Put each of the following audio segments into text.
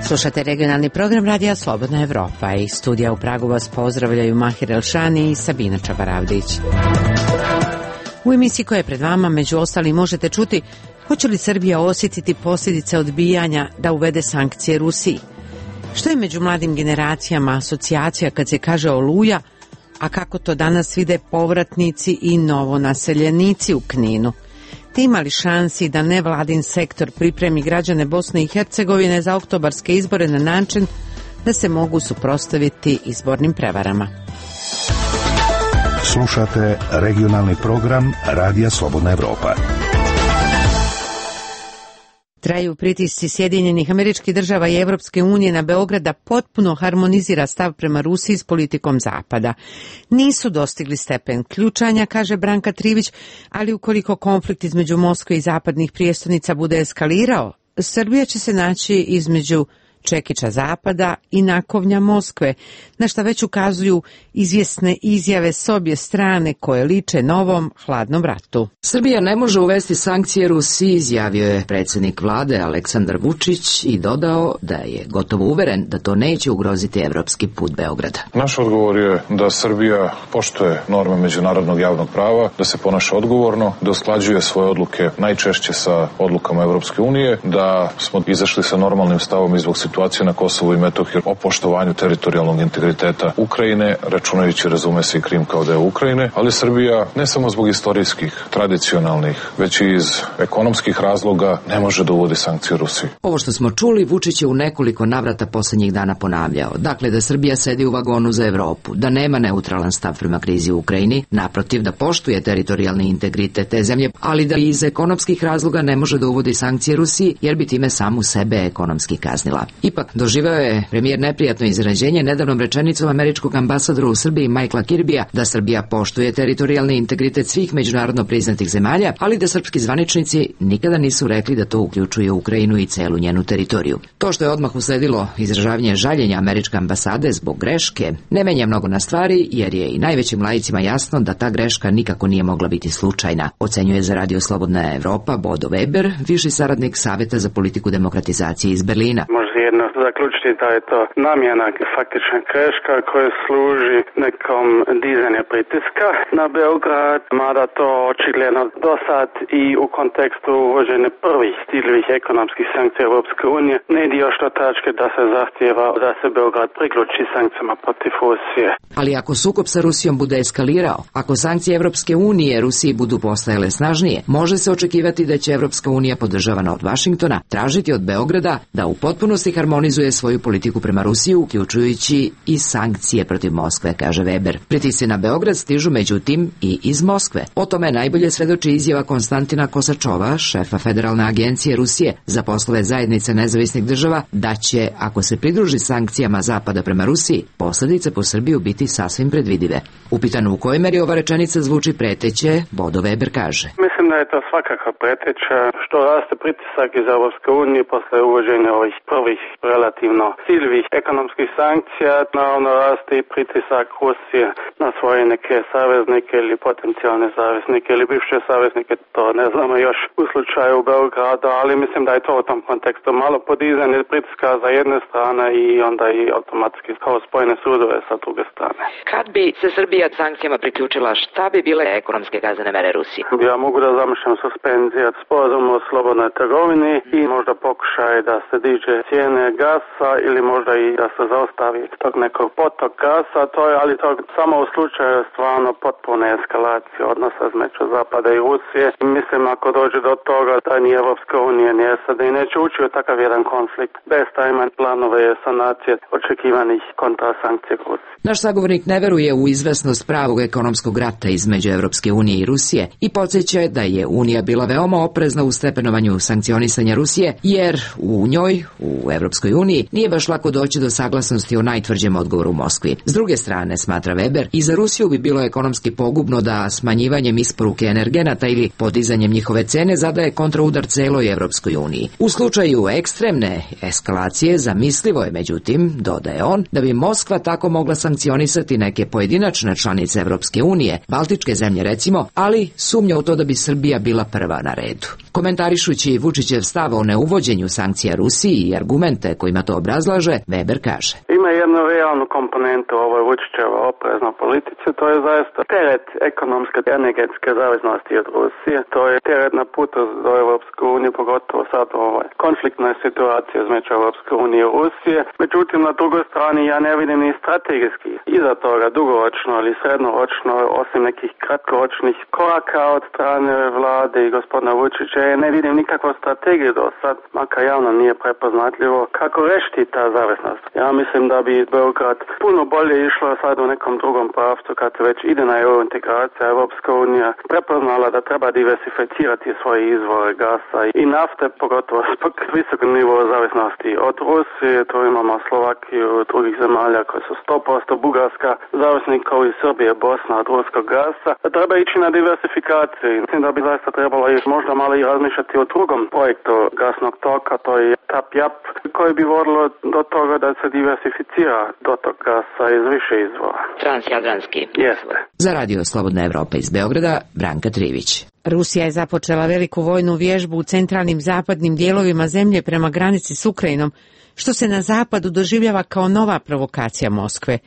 Slušate regionalni program Radija Slobodna Evropa. Iz studija u Pragu vas pozdravljaju Mahir Elšani i Sabina Čabaravdić. U emisiji koja je pred vama, među ostalim, možete čuti hoće li Srbija osjetiti posljedice odbijanja da uvede sankcije Rusiji. Što je među mladim generacijama asocijacija kad se kaže Oluja, a kako to danas vide povratnici i novonaseljenici u Kninu. Te ima li šansi da nevladin sektor pripremi građane Bosne i Hercegovine za oktobarske izbore na način da se mogu suprotstaviti izbornim prevarama? Slušate regionalni program Radija Slobodna Evropa. Traju pritisci Sjedinjenih Američkih Država i Evropske unije na Beograd da potpuno harmonizira stav prema Rusiji s politikom Zapada. Nisu dostigli stepen ključanja, kaže Branka Trivić, ali ukoliko konflikt između Moskve i zapadnih prijestolnica bude eskalirao, Srbija će se naći između čekića Zapada i nakovnja Moskve, na šta već ukazuju izvjesne izjave s obje strane koje liče novom hladnom ratu. Srbija ne može uvesti sankcije Rusiji, izjavio je predsjednik vlade Aleksandar Vučić i dodao da je gotovo uveren da to neće ugroziti evropski put Beograda. Naš odgovor je da Srbija poštuje norme međunarodnog javnog prava, da se ponaša odgovorno, da usklađuje svoje odluke najčešće sa odlukama Evropske unije, da smo izašli sa normalnim stavom i zbog situacije na Kosovu i Metohiji o poštovanju teritorijalnog integriteta Ukrajine, računajući, razume se, i Krim kao deo Ukrajine, ali Srbija ne samo zbog istorijskih, tradicionalnih, već i iz ekonomskih razloga ne može da uvodi sankcije Rusiji. Ovo što smo čuli, Vučić je u nekoliko navrata posljednjih dana ponavljao. Dakle, da Srbija sedi u vagonu za Evropu, da nema neutralan stav prema krizi u Ukrajini, naprotiv da poštuje teritorijalni integritet te zemlje, ali da iz ekonomskih razloga ne može da uvodi sankcije Rusiji, jer bi time samu sebe ekonomski kaznila. Ipak, doživeo je premijer neprijatno iznenađenje nedavnom rečenicom američkog ambasadora u Srbiji Michaela Kirbija da Srbija poštuje teritorijalni integritet svih međunarodno priznatih zemalja, ali da srpski zvaničnici nikada nisu rekli da to uključuje Ukrajinu i celu njenu teritoriju. To što je odmah usledilo izražavanje žaljenja američke ambasade zbog greške ne menja mnogo na stvari, jer je i najvećim laicima jasno da ta greška nikako nije mogla biti slučajna, ocenjuje za Radio Slobodna Evropa Bodo Weber, viši saradnik Saveta za politiku demokratizacije iz Berlina. Jedno zaključiti da je to namjena, faktična greška koja služi nekom dizanju pritiska na Beograd, mada to očigledno do sad i u kontekstu uvođenja prvih ciljevih ekonomskih sankcija Europske unije ne ide još do tačke da se zahtijeva da se Beograd priključi sankcijama protiv Rusije. Ali ako sukob sa Rusijom bude eskalirao, ako sankcije Europske unije Rusiji budu postajale snažnije, može se očekivati da će Europska unija, podržavana od Vašingtona, tražiti od Beograda da u potpunosti harmonizuje svoju politiku prema Rusiji, uključujući i sankcije protiv Moskve, kaže Weber. Pritisci na Beograd stižu međutim i iz Moskve. O tome najbolje svedoči izjava Konstantina Kosačova, šefa Federalne agencije Rusije za poslove zajednice nezavisnih država, da će, ako se pridruži sankcijama Zapada prema Rusiji, posljedice po Srbiju biti sasvim predvidive. Upitano u kojoj meri ova rečenica zvuči preteće, Bodo Weber kaže: Mislim da je to svakako preteća, što raste pritisak iz Europske unije posle uvođenja ovih prvih relativno ciljevih ekonomskih sankcija, naravno raste i pritisak Rusije na svoje neke saveznike ili potencijalne saveznike ili bivše saveznike, to ne znamo još u slučaju Beograda, ali mislim da je to u tom kontekstu malo podizanje pritiska za jedne strane i onda i automatski kao spojene sudove sa druge strane. Kad bi se Srbija sankcijama priključila, šta bi bile ekonomske kaznene mere Rusije? Ja mogu da zamišljam suspenziju sporazuma o slobodnoj trgovini i možda pokušaj da se diže cijene gasa ili možda i da se zaustavi tog nekog potok gasa, to je, ali to samo u slučaju stvarno potpune eskalacije odnosa između Zapada i Rusije. Mislim, ako dođe do toga da ni Evropska unija ni SAD neće ući u takav jedan konflikt bez tajma planove sanacije očekivanih kontrasankcija Rusije. Naš sagovornik ne veruje u izvesnost pravog ekonomskog rata između Evropske unije i Rusije i podsjeća da je Unija bila veoma oprezna u stepenovanju sankcionisanja Rusije, jer u njoj, u Evropskoj uniji, nije baš lako doći do saglasnosti o najtvrđem odgovoru u Moskvi. S druge strane, smatra Weber, i za Rusiju bi bilo ekonomski pogubno da smanjivanjem isporuke energenata ili podizanjem njihove cene zadaje kontraudar celoj Evropskoj uniji. U slučaju ekstremne eskalacije zamislivo je, međutim, dodaje on, da bi Moskva tako mogla sankcionisati neke pojedinačne članice Evropske unije, baltičke zemlje recimo, ali sumnja u to da bi Srbija bila prva na redu. Komentarišući Vučićev stav o neuvođenju sankcija Rusiji i argumente kojima to obrazlaže, Weber kaže: Ima jednu realnu komponentu ovoj Vučićevoj opreznoj politici, to je zaista teret ekonomske i energetske zavisnosti od Rusije. To je teret na putu do Europske unije, pogotovo sad u ovoj konfliktnoj situaciji između Europske unije i Rusije. Međutim, na drugoj strani ja ne vidim ni strategijski iza toga dugoročno ili srednoročno, osim nekih kratkoročnih koraka od strane vlade i gospodina Vučića, ne vidim nikakvu strategiju do sad, makar javno nije prepoznatljivo kako rešiti ta zavisnost. Ja mislim da bi Beograd puno bolje išlo sad u nekom drugom pravcu kad već ide na EU integracija. Europska unija prepoznala da treba diversificirati svoje izvore gasa i nafte, pogotovo zbog visokog nivoa zavisnosti od Rusije. Tu imamo Slovakiju i drugih zemalja koje su 100%, Bugarska zavisnik kao i Srbije, Bosna od ruskog gasa. Treba ići na diversifikaciju. Mislim da bi zaista trebalo možda malo i razmišljati o drugom projektu gasnog toka, to je TAP-JAP, koji bi vodilo do toga da se diversificira dotok gasa iz više izvora. Transjadranski. Jeste. Za Radio Slobodna Evropa iz Beograda, Branka Trivić. Rusija je započela veliku vojnu vježbu u centralnim zapadnim dijelovima zemlje prema granici s Ukrajinom, što se na zapadu doživljava kao nova provokacija Moskve.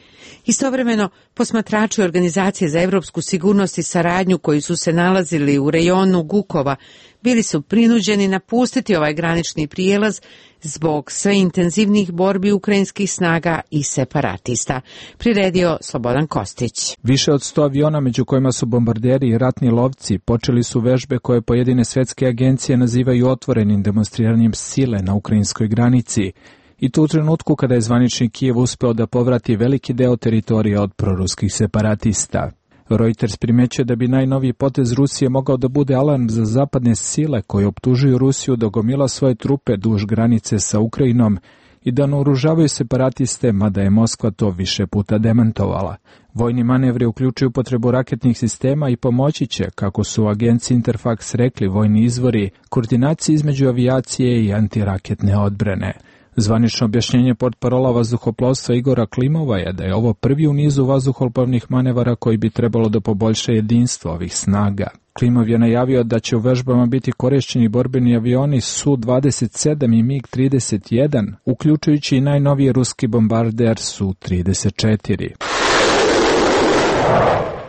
Istovremeno, posmatrači Organizacije za europsku sigurnost i saradnju koji su se nalazili u rejonu Gukova bili su prinuđeni napustiti ovaj granični prijelaz zbog sve intenzivnijih borbi ukrajinskih snaga i separatista, priredio Slobodan Kostić. Više od 100 aviona, među kojima su bombarderi i ratni lovci, počeli su vežbe koje pojedine svetske agencije nazivaju otvorenim demonstriranjem sile na ukrajinskoj granici, i to u trenutku kada je zvanični Kijev uspeo da povrati veliki deo teritorija od proruskih separatista. Reuters primećuje da bi najnoviji potez Rusije mogao da bude alarm za zapadne sile koje optužuju Rusiju da gomila svoje trupe duž granice sa Ukrajinom i da naoružavaju separatiste, mada je Moskva to više puta demantovala. Vojni manevri uključuju potrebu raketnih sistema i pomoći će, kako su u agenciji Interfax rekli vojni izvori, koordinaciji između avijacije i antiraketne odbrane. Zvanično objašnjenje portparola vazduhoplovstva Igora Klimova je da je ovo prvi u nizu vazduhoplovnih manevara koji bi trebalo da poboljša jedinstvo ovih snaga. Klimov je najavio da će u vežbama biti korišćeni borbeni avioni Su-27 i MiG-31, uključujući i najnoviji ruski bombarder Su-34.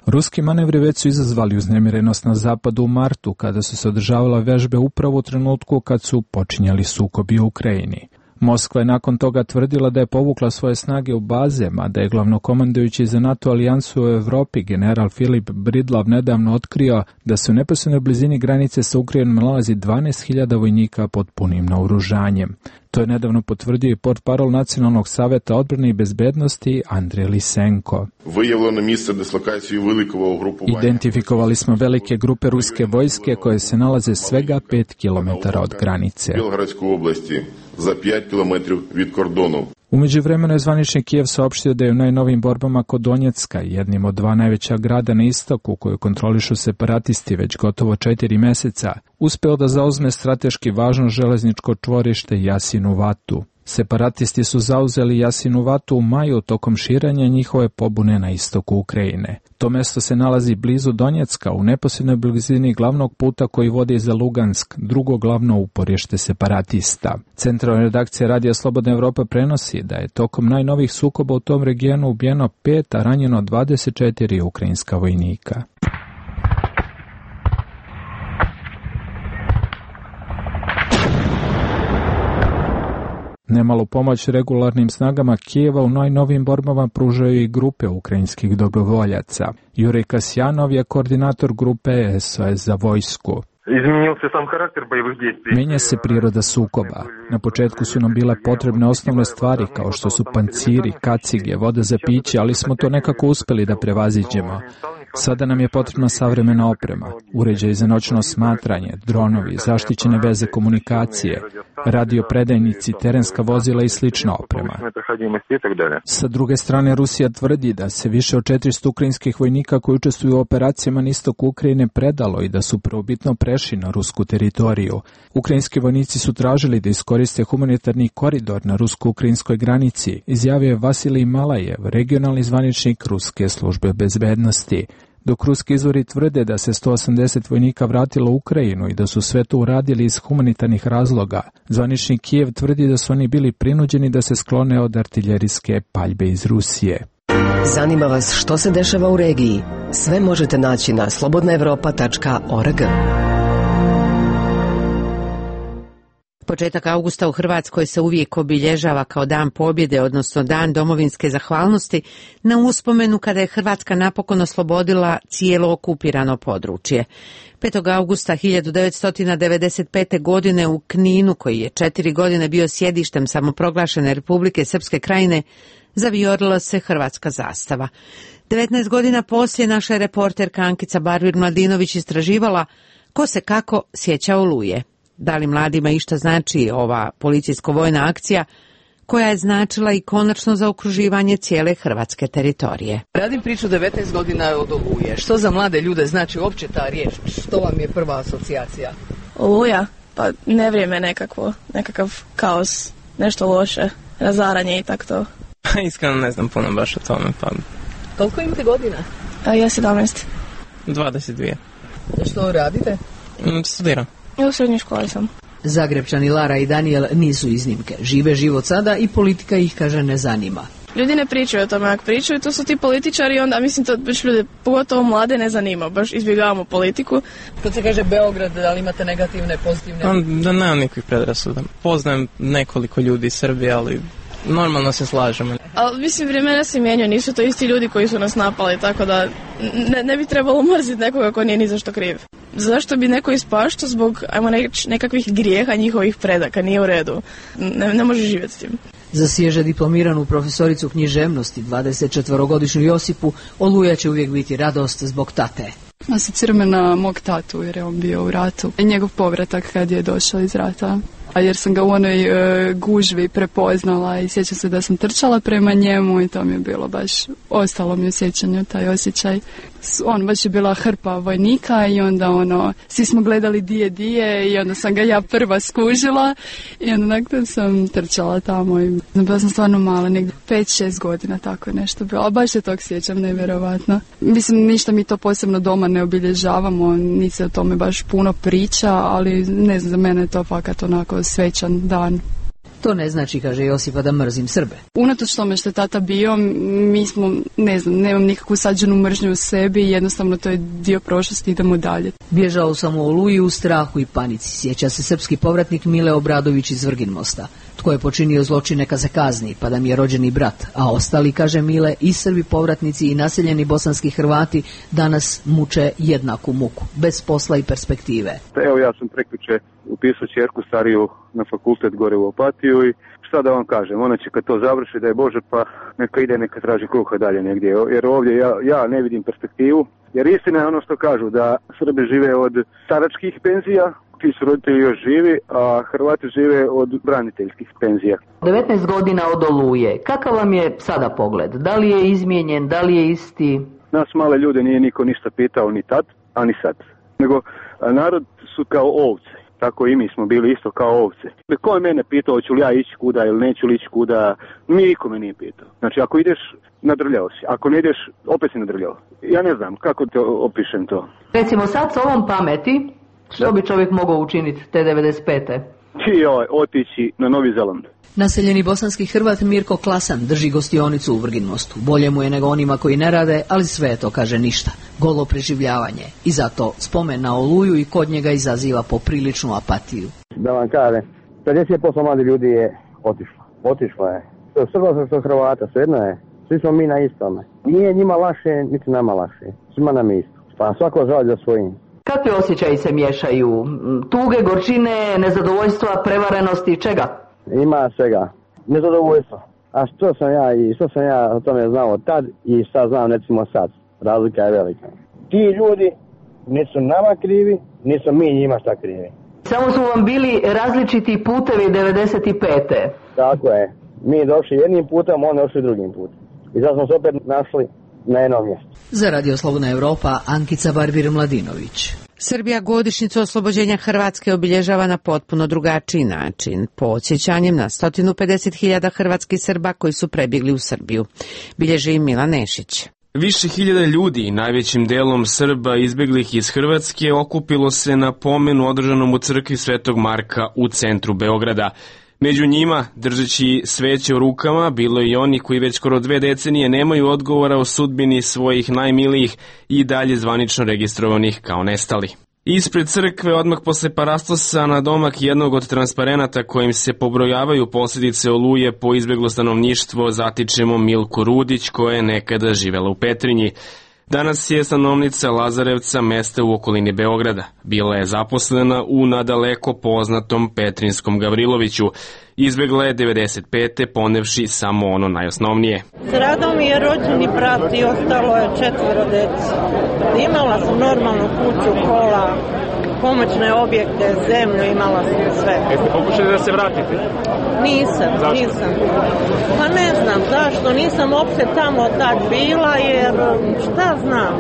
Ruski manevri već su izazvali uznemirenost na zapadu u martu, kada su se održavale vežbe upravo u trenutku kad su počinjali sukobi u Ukrajini. Moskva je nakon toga tvrdila da je povukla svoje snage u baze, mada je glavnokomandujući za NATO alijansu u Evropi general Filip Bridlav nedavno otkrio da se u neposrednoj blizini granice sa Ukrajinom nalazi 12.000 vojnika pod punim naoružanjem. To je nedavno potvrdio i portparol Nacionalnog saveta odbrane i bezbednosti Andrej Lisenko. Identifikovali smo velike grupe ruske vojske koje se nalaze svega 5 km od granice. za 5 km від кордону. U međuvremenu je zvanični Kijev saopštio da je u najnovim borbama kod Donjecka, jednim od dva najveća grada na istoku koju kontrolišu separatisti već gotovo 4 meseca, uspeo da zauzme strateški važno železničko čvorište Jasinu Vatu. Separatisti su zauzeli Jasinu Vatu u maju tokom širenja njihove pobune na istoku Ukrajine. To mesto se nalazi blizu Donjecka, u neposrednoj blizini glavnog puta koji vodi za Lugansk, drugo glavno uporište separatista. Centralna redakcija Radija Slobodna Evropa prenosi da je tokom najnovih sukoba u tom regionu ubijeno 5, a ranjeno 24 ukrajinska vojnika. Nemalu pomoć regularnim snagama Kijeva u najnovim borbama pružaju i grupe ukrajinskih dobrovoljaca. Jurij Kasjanov je koordinator grupe SOS za vojsku. Menja se priroda sukoba. Na početku su nam bile potrebne osnovne stvari kao što su panciri, kacige, voda za piće, ali smo to nekako uspeli da prevaziđemo. Sada nam je potrebna savremena oprema, uređaj za noćno smatranje, dronovi, zaštićene veze komunikacije, radiopredajnici, terenska vozila i slična oprema. Sa druge strane, Rusija tvrdi da se više od 400 ukrajinskih vojnika koji učestvuju u operacijama na istoku Ukrajine predalo i da su prvobitno prešli na rusku teritoriju. Ukrajinski vojnici su tražili da iskoriste humanitarni koridor na rusko-ukrajinskoj granici, izjavio je Vasilij Malajev, regionalni zvaničnik ruske službe bezbednosti. dok ruski izvori tvrde da se 180 vojnika vratilo u Ukrajinu i da su sve to uradili iz humanitarnih razloga. Zvanični Kijev tvrdi da su oni bili prinuđeni da se sklone od artiljerijske paljbe iz Rusije. Zanima vas što se dešava u regiji? Sve možete naći na slobodnaevropa.org. Početak augusta u Hrvatskoj se uvijek obilježava kao dan pobjede, odnosno dan domovinske zahvalnosti, na uspomenu kada je Hrvatska napokon oslobodila cijelo okupirano područje. 5. augusta 1995. godine u Kninu, koji je 4 godine bio sjedištem samoproglašene Republike Srpske Krajine, zavijorila se hrvatska zastava. 19 godina poslije naša je reporterka Ankica Barbir-Mladinović istraživala ko se kako sjeća Oluje. Da li mladima išta znači ova policijsko-vojna akcija koja je značila i konačno zaokruživanje cijele hrvatske teritorije. Radim priču 19 godina od Oluje. Što za mlade ljude znači uopće ta riječ? Što vam je prva asocijacija? Oluja? Pa nevrijeme nekakav kaos, nešto loše, razaranje i tako to. Iskreno ne znam puno baš o tome. Pa... Koliko imate godina? Ja 17. 22. Što radite? Studiram. U srednjoj školi sam. Zagrebčani Lara i Daniel nisu iznimke. Žive život sada i politika ih, kaže, ne zanima. Ljudi ne pričaju o tome, ako pričaju, to su ti političari, onda mislim to baš ljude, pogotovo mlade, ne zanima, baš izbjegavamo politiku. Kad se kaže Beograd, da li imate negativne, pozitivne? Da nemam nikakvih predrasuda. Poznajem nekoliko ljudi iz Srbije, ali normalno se slažemo. Ali mislim, vremena se mijenjaju, nisu to isti ljudi koji su nas napali, tako da ne bi trebalo mrziti nekoga ko nije ni za što kriv. Zašto bi neko ispaštao zbog, ajmo nekakvih grijeha njihovih predaka, nije u redu. Ne može živjeti s tim. Za svježe diplomiranu profesoricu književnosti, 24-godišnju Josipu, Oluja će uvijek biti radost zbog tate. Asocira me na mog tatu jer je on bio u ratu. I njegov povratak kad je došao iz rata. A jer sam ga u onoj gužvi prepoznala i sjećam se da sam trčala prema njemu i to mi je bilo baš, ostalo mi u sjećanju taj osjećaj. On baš je bila hrpa vojnika i onda svi smo gledali dije i onda sam ga ja prva skužila i onda nakon sam trčala tamo i bila sam stvarno mala, negdje 5-6 godina, tako je nešto bilo, a baš se tog sjećam, nevjerovatno. Mislim, ništa mi to posebno doma ne obilježavamo, niti se o tome baš puno priča, ali ne znam, za mene je to fakat onako svečan dan. To ne znači, kaže Josipa, da mrzim Srbe. Unatoč tome što je tata bio, mi smo, ne znam, nemam nikakvu sađenu mržnju u sebi i jednostavno to je dio prošlosti, idemo dalje. Bježao sam u Oluji u strahu i panici, sjeća se srpski povratnik Mile Obradović iz Vrginmosta. Tko je počinio zločin neka se kazni, pa da mi je rođeni brat, a ostali, kaže Mile, i Srbi povratnici i naseljeni bosanski Hrvati danas muče jednaku muku, bez posla i perspektive. Evo, ja sam prekjuče upisao ćerku stariju na fakultet gore u Opatiju i šta da vam kažem, ona će kad to završi, da je Bože, pa neka traži kruha dalje negdje, jer ovdje ja ne vidim perspektivu, jer istina je ono što kažu, da Srbi žive od staračkih penzija, ti su roditelji još živi, a Hrvati žive od braniteljskih penzija. 19 godina od Oluje, kakav vam je sada pogled? Da li je izmijenjen, da li je isti? Nas male ljude nije niko ništa pitao ni tad, a ni sad, nego narod su kao ovce. Tako i mi smo bili isto kao ovce. Ko je mene pitao hoću li ja ići kuda ili neću li ići kuda, niko me nije pitao. Znači ako ideš, nadrljao si. Ako ne ideš, opet si nadrljao. Ja ne znam kako te opišem to. Recimo sad s ovom pameti, što bi čovjek mogao učiniti te 95. Otići na Novi Zeland. Naseljeni bosanski Hrvat Mirko Klasan drži gostionicu u Vrginmostu. Bolje mu je nego onima koji ne rade, ali sve to, kaže, ništa. Golo preživljavanje. I zato spomen na Oluju i kod njega izaziva popriličnu apatiju. Da vam kažem, 50% mladi ljudi je otišlo. Otišlo je. Srba što Hrvata, svejedno je. Svi smo mi na istome. Nije njima laše, niti nama laše. Svima nam je isto. Pa svako žali za svojim. Kakvi osjećaji se miješaju? Tuge, gorčine, nezadovoljstva, prevarenosti, čega? Ima svega. Nezadovoljstvo. A što sam ja o tome znao tad i šta znam recimo sad. Razlika je velika. Ti ljudi nisu nama krivi, nisu mi njima šta krivi. Samo su vam bili različiti putevi 95. Tako je. Mi došli jednim putem, oni došli drugim putem. I sad smo se opet našli na jednom mjestu. Za Radio Slobodna Evropa, Ankica Barbir-Mladinović. Srbija godišnjicu oslobođenja Hrvatske obilježava na potpuno drugačiji način, podsjećanjem na 150.000 hrvatskih Srba koji su prebjegli u Srbiju. Bilježi Milan Nešić. Više hiljada ljudi, najvećim delom Srba izbeglih iz Hrvatske, okupilo se na pomenu održanom u crkvi Svetog Marka u centru Beograda. Među njima, držeći sveće u rukama, bilo je i oni koji već skoro 2 decenije nemaju odgovora o sudbini svojih najmilijih i dalje zvanično registrovanih kao nestali. Ispred crkve, odmah posle parastosa, na domak jednog od transparenata kojim se pobrojavaju posljedice oluje po izbjeglo stanovništvo, zatičemo Milku Rudić, koja je nekada živela u Petrinji. Danas je stanovnica Lazarevca, mesta u okolini Beograda. Bila je zaposlena u nadaleko poznatom Petrinskom Gavriloviću. Izbjegla je 95. ponevši samo ono najosnovnije. Stradao mi je rođeni brat i ostalo je 4 dece. Imala sam normalnu kuću, kola, pomoćne objekte, zemlju, imala sam sve. Jeste pokušali da se vratite? Nisam. Pa ne znam zašto, nisam uopšte tamo tad bila, jer šta znam,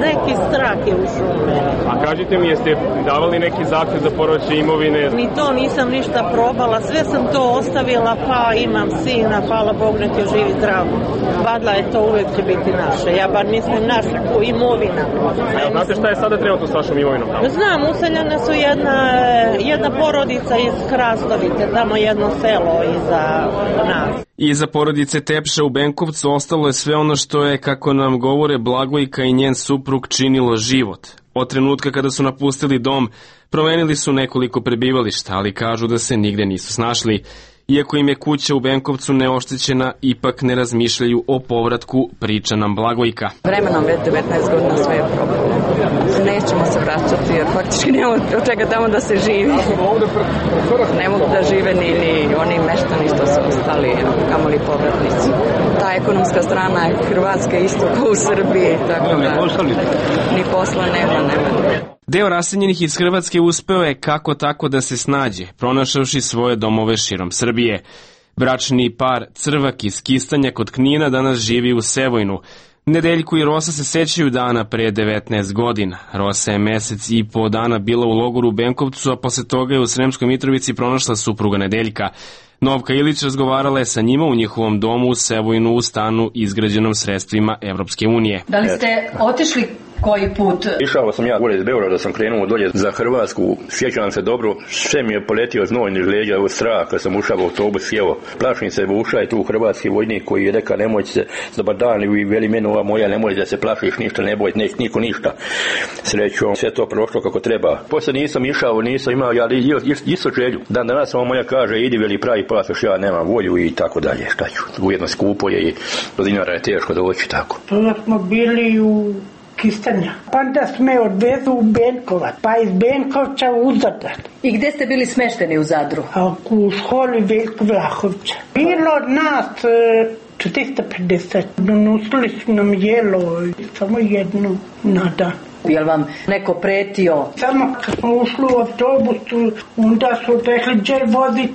neki strah je ušao u mene. A kažite mi, jeste davali neki zahtev za povraćaj imovine? Ni to nisam ništa probala, sve sam to ostavila, pa imam sina, hvala Bog, nek je živi zdrav. Badla je to, uvijek će biti naše, ja bar mislim naša imovina. A znate šta je sada trenutno s vašom imovinom tamo? Znam, useljene su jedna porodica iz Hrastovite, tamo jedno selo iza nas. Iza porodice Tepša u Benkovcu ostalo je sve ono što je, kako nam govore, Blagojka i njen suprug činilo život. Od trenutka kada su napustili dom, promenili su nekoliko prebivališta, ali kažu da se nigde nisu snašli. Iako im je kuća u Benkovcu neoštećena, ipak ne razmišljaju o povratku, priča nam Blagojka. Vremenom već 19 godina sve je propalo. Nećemo se vraćati jer faktički nemamo od čega tamo da se živi. Ne mogu da žive ni oni meštani što su ostali, kamoli povratnici. Ta ekonomska strana je Hrvatska isto kao u Srbiji, tako da ni posla nema. Deo raseljenih iz Hrvatske uspeo je kako tako da se snađe, pronašavši svoje domove širom Srbije. Bračni par Crvak iz Kistanja kod Knina danas živi u Sevojnu. Nedeljko i Rosa se sećaju dana pre 19 godina. Rosa je mesec i po dana bila u logoru u Benkovcu, a posle toga je u Sremskoj Mitrovici pronašla supruga Nedeljka. Novka Ilić razgovarala je sa njima u njihovom domu u Sevojnu u stanu izgrađenom sredstvima Evropske unije. Da li ste otišli koji put? Išao sam ja gore iz Beograda, sam krenuo dolje za Hrvatsku, sjećam se dobro, sve mi je poletio znoj niž leđa od straha kad sam ušao u autobus, sjeo. Plašim se, ušao je tu hrvatski vojnik koji je rekao nemojte se, dobar dan, i veli meni ova moja, nemoj da se plašiš ništa, ne boj, niko ništa. Srećom, sve to prošlo kako treba. Poslije nisam išao, nisam imao, ali isto želju. Dan danas ova moja kaže, idi veli pravi pasoš, ja nemam volju i tako dalje. Šta ću, ujedno skupo je i do dinara je teško doći tako. Onda smo bili u Kistanja. Pa da sme odvezu u Benkovac, pa iz Benkovca u Zadar. I gde ste bili smešteni u Zadru? U školi Veljko Vlahovca. Bilo od nas 450. Donosili su nam jelo, samo jednu na dan. Je vam neko pretio? Samo kad smo ušli u autobusu, onda su rekli, gdje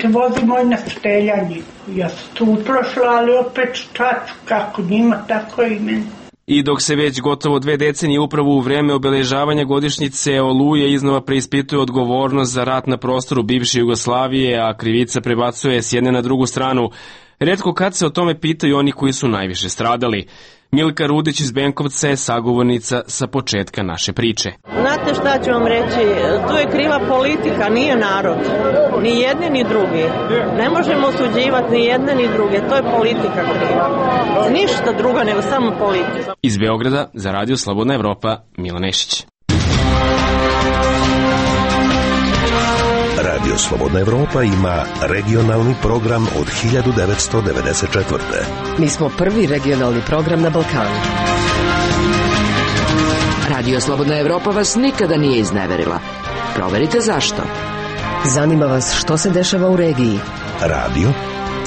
vozimo i na streljanje. Ja sam tu uprošla, ali opet šta ću, kako njima, tako i meni. I dok se već gotovo 2 decenije upravo u vreme obeležavanja godišnjice Oluje iznova preispituje odgovornost za rat na prostoru bivše Jugoslavije, a krivica prebacuje s jedne na drugu stranu, retko kad se o tome pitaju oni koji su najviše stradali. Milka Rudić iz Benkovca je sagovornica sa početka naše priče. Znate šta ću vam reći, tu je kriva politika, nije narod. Ni jedni ni drugi. Ne možemo osuđivati ni jedne ni druge, to je politika kriva. Ništa druga nego samo politika. Iz Beograda za Radio Slobodna Evropa, Milan Nešić. Radio Slobodna Evropa ima regionalni program od 1994. Mi smo prvi regionalni program na Balkanu. Radio Slobodna Evropa vas nikada nije izneverila. Proverite zašto. Zanima vas što se dešava u regiji. Radio,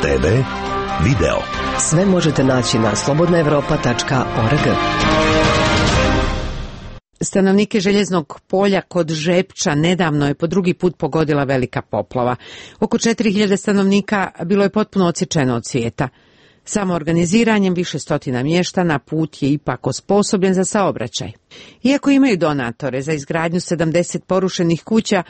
TV, video. Sve možete naći na slobodnaevropa.org. Stanovnike Željeznog polja kod Žepča nedavno je po drugi put pogodila velika poplava. Oko 4000 stanovnika bilo je potpuno odsječeno od svijeta. Samo organiziranjem više stotina mještana put je ipak osposobljen za saobraćaj. Iako imaju donatore za izgradnju 70 porušenih kuća,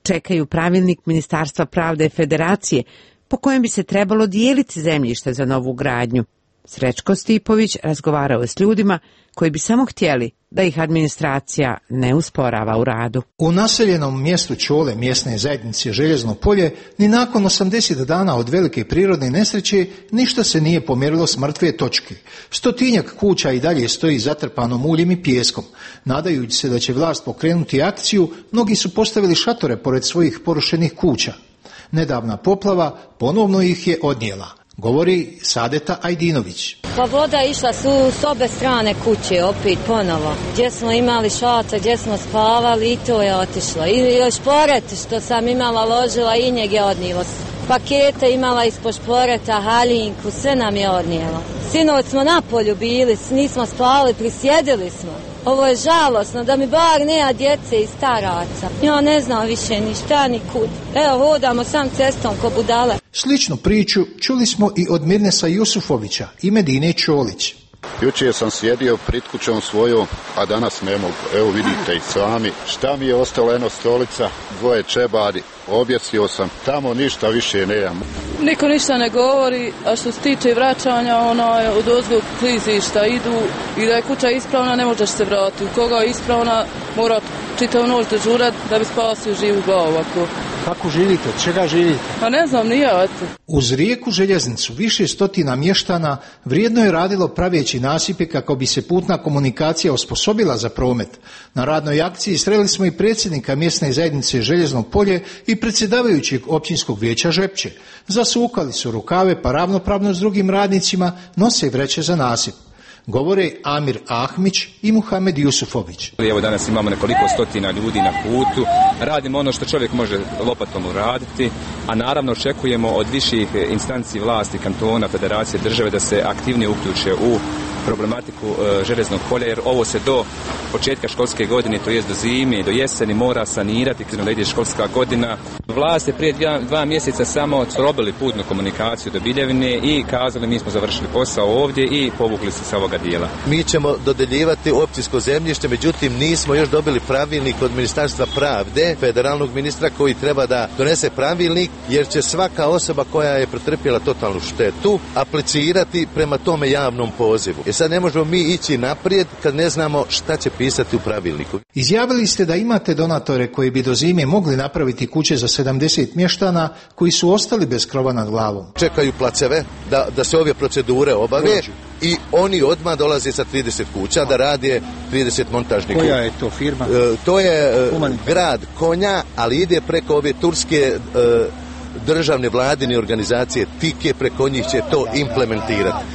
čekaju pravilnik Ministarstva pravde Federacije po kojem bi se trebalo dijeliti zemljište za novu gradnju. Srećko Stipović razgovarao je s ljudima koji bi samo htjeli da ih administracija ne usporava u radu. U naseljenom mjestu Čole mjesne zajednice Željezno polje ni nakon 80 dana od velike prirodne nesreće ništa se nije pomjerilo s mrtve točke. 100-tinjak kuća i dalje stoji zatrpano muljem i pijeskom. Nadajući se da će vlast pokrenuti akciju, mnogi su postavili šatore pored svojih porušenih kuća. Nedavna poplava ponovno ih je odnijela, govori Sadeta Ajdinović. Pa voda je išla s obe strane kuće opet ponovo. Gdje smo imali šator, gdje smo spavali i to je otišlo. I još šporet što sam imala ložila i njeg je odnijelo. Pakete imala ispod šporeta, haljinku, sve nam je odnijelo. Sinoć smo na polju bili, nismo spavali, prisjedili smo. Ovo je žalosno, da mi bar nema djece i staraca. Ja ne znam više ni šta ni kud. Evo, hodamo sam cestom ko budale. Sličnu priču čuli smo i od Mirnesa Jusufovića i Medine Čolić. Jučer sam sjedio pred kućom svojom, a danas ne mogu. Evo vidite i sami. Šta mi je ostalo, eno stolica, dvoje čebadi. Objesio sam, tamo ništa više nemam. Niko ništa ne govori, a što se tiče vraćanja, od ozgog klizišta idu i da je kuća ispravna, ne možeš se vratiti. Koga je ispravna, mora čitavu noć dežurati da bi spasio živu glavu. Kako živite? Od čega živite? Pa ne znam, nije. Uz rijeku željeznicu više stotina mještana vrijedno je radilo praveći nasipe kako bi se putna komunikacija osposobila za promet. Na radnoj akciji sreli smo i predsjednika mjesne zajednice Željezno polje i predsjedavajućeg općinskog vijeća Žepče. Zasukali su rukave pa ravnopravno s drugim radnicima nose vreće za nasip. Govore Amir Ahmić i Muhamed Jusufović. Evo danas imamo nekoliko stotina ljudi na putu, radimo ono što čovjek može lopatom uraditi, a naravno očekujemo od viših instanci vlasti, kantona, federacije, države da se aktivnije uključe u problematiku željeznog polja, jer ovo se do početka školske godine, to jest do zime, do jeseni mora sanirati, da ide školska godina. Vlast je prije 2 mjeseca samo probili putnu komunikaciju do Biljevine i kazali mi smo završili posao ovdje i povukli se sa ovoga dijela. Mi ćemo dodeljivati općinsko zemljište, međutim nismo još dobili pravilnik od Ministarstva pravde, federalnog ministra koji treba da donese pravilnik, jer će svaka osoba koja je pretrpjela totalnu štetu aplicirati prema tome javnom pozivu. Sad ne možemo mi ići naprijed kad ne znamo šta će pisati u pravilniku. Izjavili ste da imate donatore koji bi do zime mogli napraviti kuće za 70 mještana koji su ostali bez krova nad glavom. Čekaju placeve da se ove procedure obave i oni odmah dolaze sa 30 kuća da rade 30 montažnih kuća. Koja je to firma? To je grad Konja, ali ide preko ove turske državne vladine organizacije Tike, preko njih će to implementirati.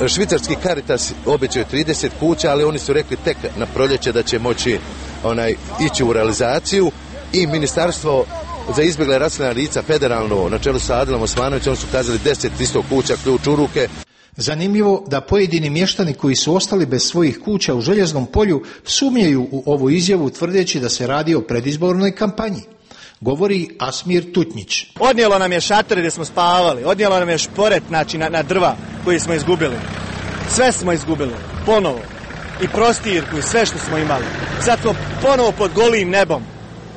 Švicarski Caritas obećao 30 kuća, ali oni su rekli tek na proljeće da će moći ići u realizaciju i Ministarstvo za izbjegla i raseljena lica federalno na čelu sa Adilom Osmanovićem, oni su kazali 10 kuća, ključ u ruke. Zanimljivo da pojedini mještani koji su ostali bez svojih kuća u Željeznom polju sumnjaju u ovu izjavu tvrdeći da se radi o predizbornoj kampanji. Govori Asmir Tutnjić. Odnijelo nam je šatore gdje smo spavali, odnijelo nam je šporet na drva koji smo izgubili. Sve smo izgubili, ponovo. I prostirku i sve što smo imali. Sad smo ponovo pod golim nebom.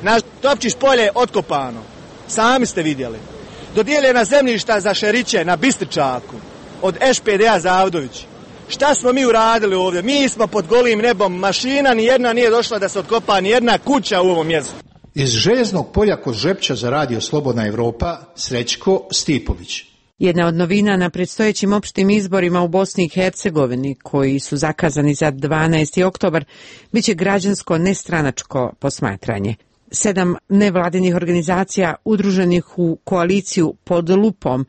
Naš Topčić polje je otkopano. Sami ste vidjeli. Dodijeljena zemljišta za Šeriće na Bistričaku od ŠPD-a Zavdović. Šta smo mi uradili ovdje? Mi smo pod golim nebom. Mašina ni jedna nije došla da se otkopa ni jedna kuća u ovom mjestu. Iz Željeznog polja kod Žepča za radio Slobodna Evropa, Srećko Stipović. Jedna od novina na predstojećim opštim izborima u Bosni i Hercegovini, koji su zakazani za 12. oktobar, bit će građansko nestranačko posmatranje. 7 nevladinih organizacija udruženih u koaliciju Pod lupom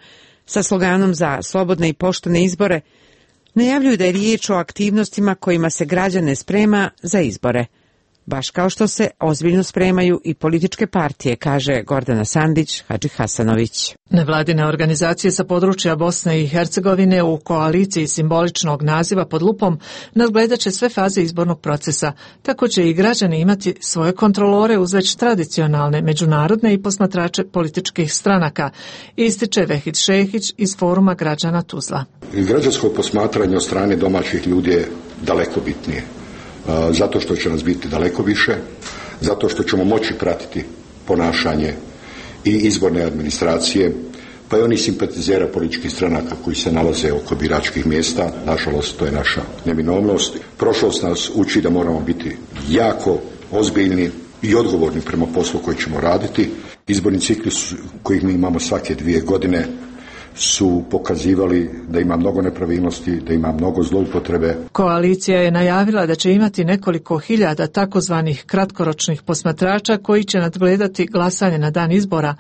sa sloganom za slobodne i poštene izbore najavljuju da je riječ o aktivnostima kojima se građane sprema za izbore. Baš kao što se ozbiljno spremaju i političke partije, kaže Gordana Sandić Hadži Hasanović. Nevladine organizacije sa područja Bosne i Hercegovine u koaliciji simboličnog naziva Pod lupom nadgledat će sve faze izbornog procesa. Tako će i građani imati svoje kontrolore uz već tradicionalne međunarodne i posmatrače političkih stranaka, ističe Vehid Šehić iz Foruma građana Tuzla. Građansko posmatranje od strane domaćih ljudi je daleko bitnije. Zato što će nas biti daleko više, zato što ćemo moći pratiti ponašanje i izborne administracije, pa i oni simpatizera političkih stranaka koji se nalaze oko biračkih mjesta. Nažalost, to je naša neminovnost. Prošlost nas uči da moramo biti jako ozbiljni i odgovorni prema poslu koji ćemo raditi. Izborni ciklus kojih mi imamo svake 2 godine su pokazivali da ima mnogo nepravilnosti, da ima mnogo zloupotrebe. Koalicija je najavila da će imati nekoliko hiljada takozvanih kratkoročnih posmatrača koji će nadgledati glasanje na dan izbora,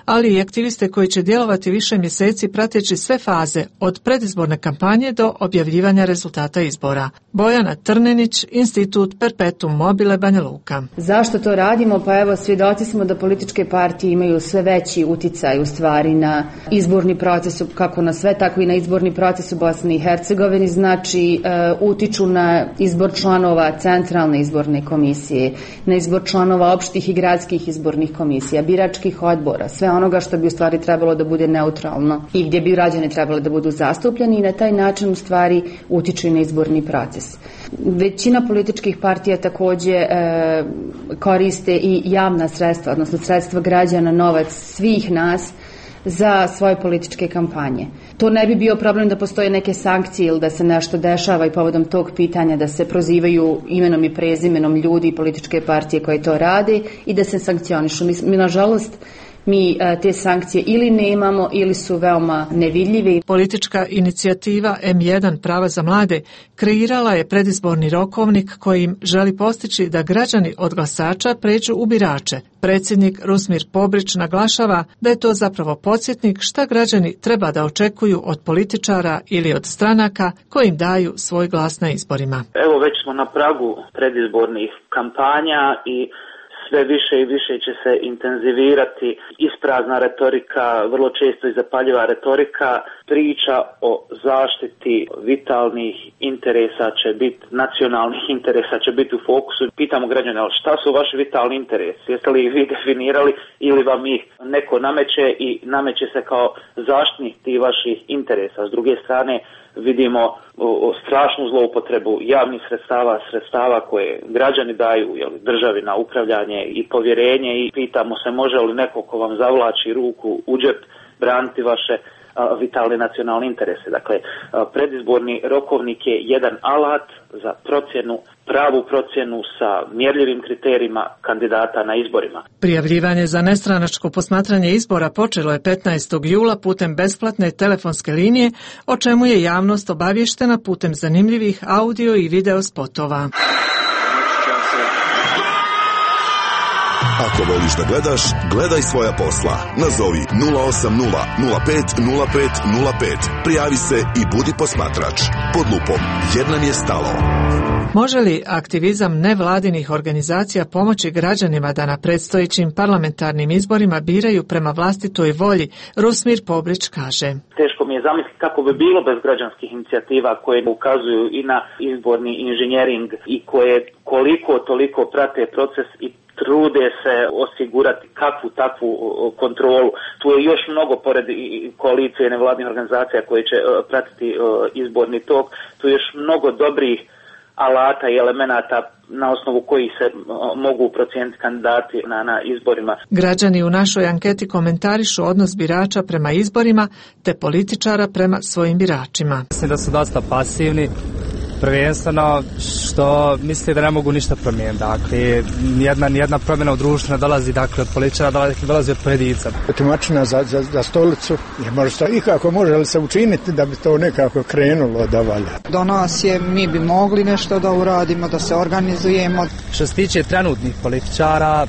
ali i aktiviste koji će djelovati više mjeseci prateći sve faze od predizborne kampanje do objavljivanja rezultata izbora. Bojana Trnenić, Institut Perpetuum Mobile, Banja Luka. Zašto to radimo? Pa evo, svjedoci smo da političke partije imaju sve veći uticaj u stvari na izborni proces, kako na sve, tako i na izborni proces u Bosni i Hercegovini, znači utiču na izbor članova centralne izborne komisije, na izbor članova opštih i gradskih izbornih komisija, biračkih odbora, sve onoga što bi u stvari trebalo da bude neutralno i gdje bi građani trebali da budu zastupljeni i na taj način u stvari utiču i na izborni proces. Većina političkih partija također koriste i javna sredstva, odnosno sredstva građana, novac svih nas za svoje političke kampanje. To ne bi bio problem da postoje neke sankcije ili da se nešto dešava i povodom tog pitanja da se prozivaju imenom i prezimenom ljudi i političke partije koje to rade i da se sankcionišu. Mi nažalost, te sankcije ili nemamo ili su veoma nevidljive. Politička inicijativa M1 Prava za mlade kreirala je predizborni rokovnik kojim želi postići da građani od glasača pređu u birače. Predsjednik Rusmir Pobrić naglašava da je to zapravo podsjetnik šta građani treba da očekuju od političara ili od stranaka koji im daju svoj glas na izborima. Evo, već smo na pragu predizbornih kampanja i sve više i više će se intenzivirati isprazna retorika, vrlo često i zapaljiva retorika. Priča o zaštiti vitalnih interesa će biti, nacionalnih interesa će biti u fokusu. Pitamo građane, šta su vaši vitalni interesi? Jeste li ih vi definirali ili vam ih neko nameće i nameće se kao zaštitnik tih vaših interesa? S druge strane, vidimo strašnu zloupotrebu javnih sredstava koje građani daju državi na upravljanje i povjerenje i pitamo se može li neko ko vam zavlači ruku u džep braniti vaše vitalne nacionalne interese. Dakle, predizborni rokovnik je jedan alat za pravu procjenu sa mjerljivim kriterijima kandidata na izborima. Prijavljivanje za nestranačko posmatranje izbora počelo je 15. jula putem besplatne telefonske linije, o čemu je javnost obavještena putem zanimljivih audio i video spotova. Ako voliš da gledaš, gledaj svoja posla. Nazovi 080 05 05 05. Prijavi se i budi posmatrač. Pod lupom, jer nam je stalo. Može li aktivizam nevladinih organizacija pomoći građanima da na predstojećim parlamentarnim izborima biraju prema vlastitoj volji? Rusmir Pobrić kaže. Teško mi je zamisliti kako bi bilo bez građanskih inicijativa koje ukazuju i na izborni inženjering i koje koliko toliko prate proces i trude se osigurati kakvu takvu kontrolu. Tu je još mnogo, pored koalicije nevladnih organizacija koje će pratiti izborni tok, tu je još mnogo dobrih alata i elemenata na osnovu kojih se mogu procijeniti kandidati na izborima. Građani u našoj anketi komentarišu odnos birača prema izborima te političara prema svojim biračima. Mislim da su dosta pasivni, prvenstveno što misle da ne mogu ništa promijeniti. Dakle, nijedna promjena u društvu ne dolazi od političara, dolazi od pojedinca. Tumačina za stolicu je možda ikako može li se učiniti da bi to nekako krenulo da valja. Do nas je, mi bi mogli nešto da uradimo, da se organizujemo. Što se tiče trenutnih političara,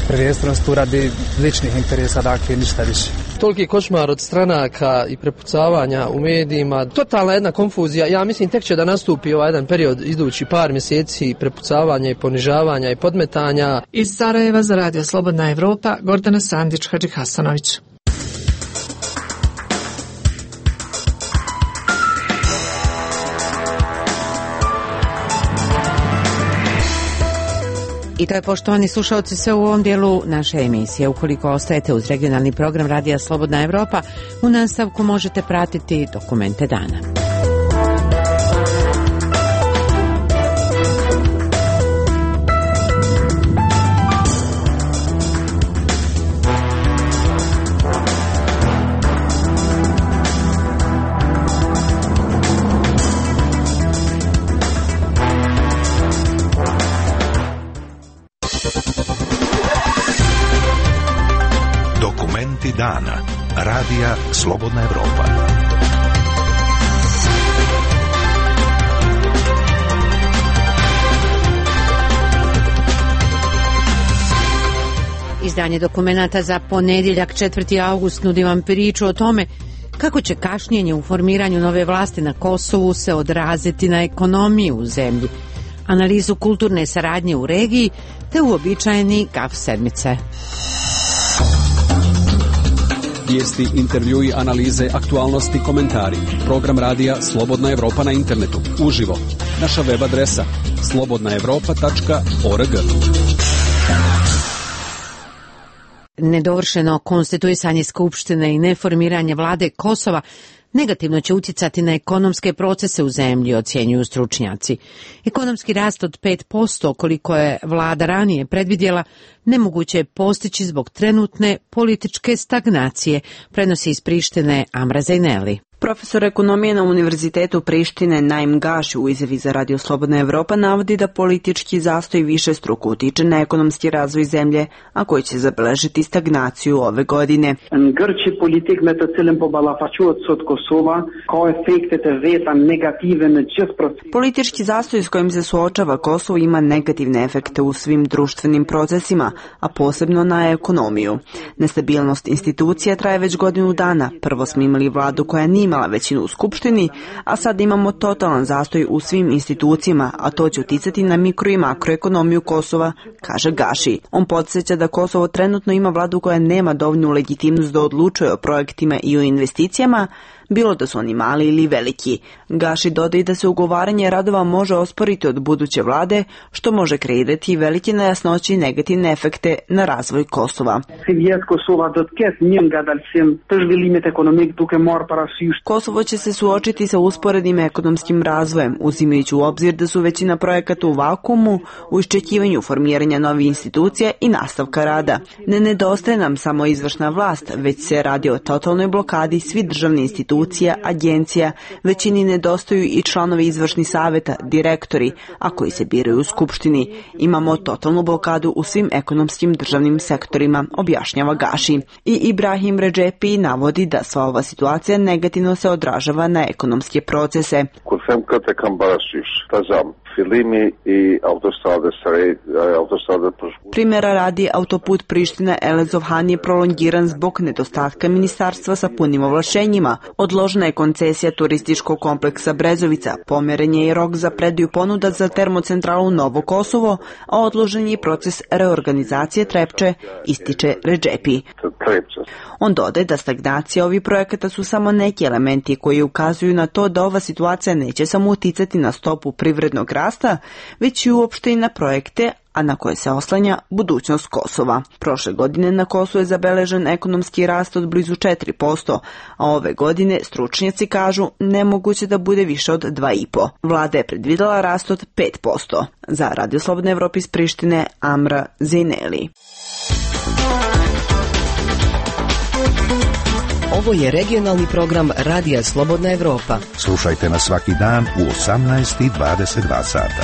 prvenstveno tu radi ličnih interesa, dakle ništa više. Toliki košmar od stranaka i prepucavanja u medijima, totalna jedna konfuzija. Ja mislim tek će da nastupi ovaj jedan period idući par mjeseci prepucavanja i ponižavanja i podmetanja. Iz Sarajeva za Radio Slobodna Evropa, Gordana Sandić, Hadži Hasanović. I to je, poštovani slušalci, sve u ovom dijelu naše emisije. Ukoliko ostajete uz regionalni program Radija Slobodna Evropa, u nastavku možete pratiti dokumente dana. Dokumenti dana. Radija Slobodna Evropa. Izdanje dokumenata za ponedjeljak 4. august nudi vam priču o tome kako će kašnjenje u formiranju nove vlasti na Kosovu se odraziti na ekonomiju u zemlji, analizu kulturne saradnje u regiji te uobičajeni gaf sedmice. Vijesti, intervjui, analize, aktualnosti, komentari. Program radija Slobodna Evropa na internetu. Uživo. Naša web adresa slobodnaevropa.org. Nedovršeno konstituisanje Skupštine i neformiranje vlade Kosova negativno će utjecati na ekonomske procese u zemlji, ocjenjuju stručnjaci. Ekonomski rast od 5%, koliko je vlada ranije predvidjela, nemoguće je postići zbog trenutne političke stagnacije, prenosi iz Prištine Amra Zejneli. Profesor ekonomije na Univerzitetu Prištine Naim Gaši u izjavi za Radio Slobodna Evropa navodi da politički zastoj višestruko utiče na ekonomski razvoj zemlje, a koji će zabeležiti stagnaciju ove godine. Politički zastoj s kojim se suočava Kosovo ima negativne efekte u svim društvenim procesima, a posebno na ekonomiju. Nestabilnost institucija traje već godinu dana. Prvo smo imali vladu koja nije imala većinu u Skupštini, a sad imamo totalan zastoj u svim institucijama, a to će uticati na mikro i makroekonomiju Kosova, kaže Gaši. On podsjeća da Kosovo trenutno ima vladu koja nema dovoljnu legitimnost da odlučuje o projektima i o investicijama, bilo da su oni mali ili veliki. Gaši dodaje da se ugovaranje radova može osporiti od buduće vlade, što može kreirati velike nejasnoće i negativne efekte na razvoj Kosova. Kosovo će se suočiti sa usporednim ekonomskim razvojem, uzimajući u obzir da su većina projekata u vakuumu, u iščekivanju formiranja novih institucija i nastavka rada. Ne nedostaje nam samo izvršna vlast, već se radi o totalnoj blokadi svih državnih institucija, agencija, većini nedostaju i članovi izvršnih savjeta, direktori, a koji se biraju u Skupštini. Imamo totalnu blokadu u svim ekonomskim državnim sektorima, objašnjava Gaši. I Ibrahim Redžepi navodi da sva ova situacija negativno se odražava na ekonomske procese. Primjera radi, autoput Priština-Elezovhan je prolongiran zbog nedostatka ministarstva sa punim ovlašenjima. Odložena je koncesija turističkog kompleksa Brezovica, pomjeren je i rok za predaju ponuda za termocentralu Novo Kosovo, a odložen je proces reorganizacije Trepče, ističe Redžepi. On dodaje da stagnacija ovih projekata su samo neki elementi koji ukazuju na to da ova situacija neće samo uticati na stopu privrednog rasta, već i uopšte i na projekte, a na koje se oslanja budućnost Kosova. Prošle godine na Kosovu je zabeležen ekonomski rast od blizu 4%, a ove godine stručnjaci kažu nemoguće da bude više od 2,5%. Vlada je predvidela rast od 5%. Za Radio Slobodna Evropa iz Prištine, Amra Zejneli. Ovo je regionalni program Radija Slobodna Evropa. Slušajte nas svaki dan u 18:22 sata.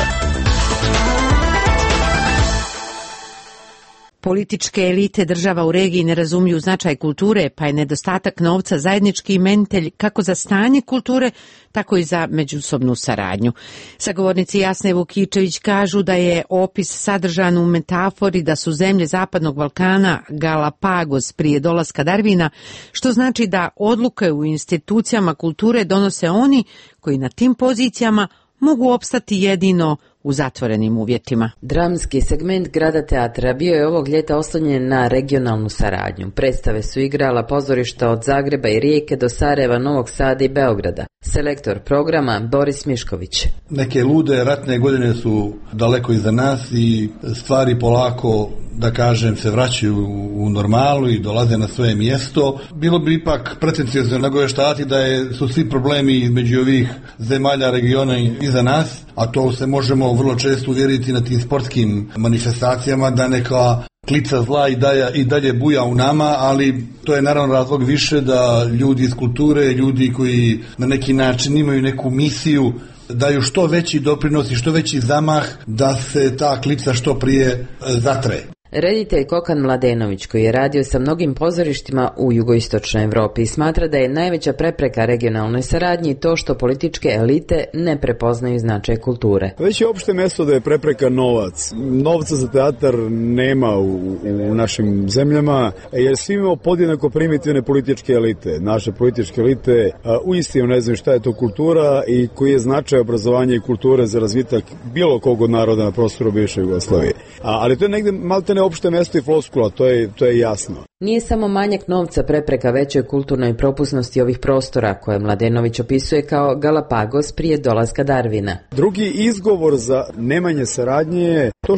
Političke elite država u regiji ne razumiju značaj kulture, pa je nedostatak novca zajednički imenitelj kako za stanje kulture, tako i za međusobnu saradnju. Sagovornici Jasne Vukičević kažu da je opis sadržan u metafori da su zemlje Zapadnog Balkana Galapagos prije dolaska Darwina, što znači da odluke u institucijama kulture donose oni koji na tim pozicijama mogu opstati jedino u zatvorenim uvjetima. Dramski segment Grada teatra bio je ovog ljeta oslonjen na regionalnu saradnju. Predstave su igrala pozorišta od Zagreba i Rijeke do Sarajeva, Novog Sada i Beograda. Selektor programa Boris Mišković. Neke lude ratne godine su daleko iza nas i stvari polako, da kažem, se vraćaju u normalu i dolaze na svoje mjesto. Bilo bi ipak pretenciozno nagoveštati da su svi problemi između ovih zemalja regiona iza nas, a to se možemo vrlo često uvjeriti na tim sportskim manifestacijama, da neka klica zla i dalje buja u nama, ali to je naravno razlog više da ljudi iz kulture, ljudi koji na neki način imaju neku misiju, daju što veći doprinos i što veći zamah da se ta klica što prije zatre. Reditelj Kokan Mladenović, koji je radio sa mnogim pozorištima u jugoistočnoj Evropi, smatra da je najveća prepreka regionalnoj saradnji to što političke elite ne prepoznaju značaj kulture. Već je opšte mesto da je prepreka novac. Novca za teatar nema u našim zemljama, jer svi imamo podjednako primitivne političke elite. Naše političke elite uistinu ne znaju šta je to kultura i koji je značaj obrazovanja i kulture za razvitak bilo kog od naroda na prostoru bivše Jugoslavije. Ali to je negde maltene opšte mesto i floskula, to je jasno. Nije samo manjak novca prepreka većoj kulturnoj propusnosti ovih prostora, koje Mladenović opisuje kao Galapagos prije dolaska Darwina. Drugi izgovor za nemanje saradnje je to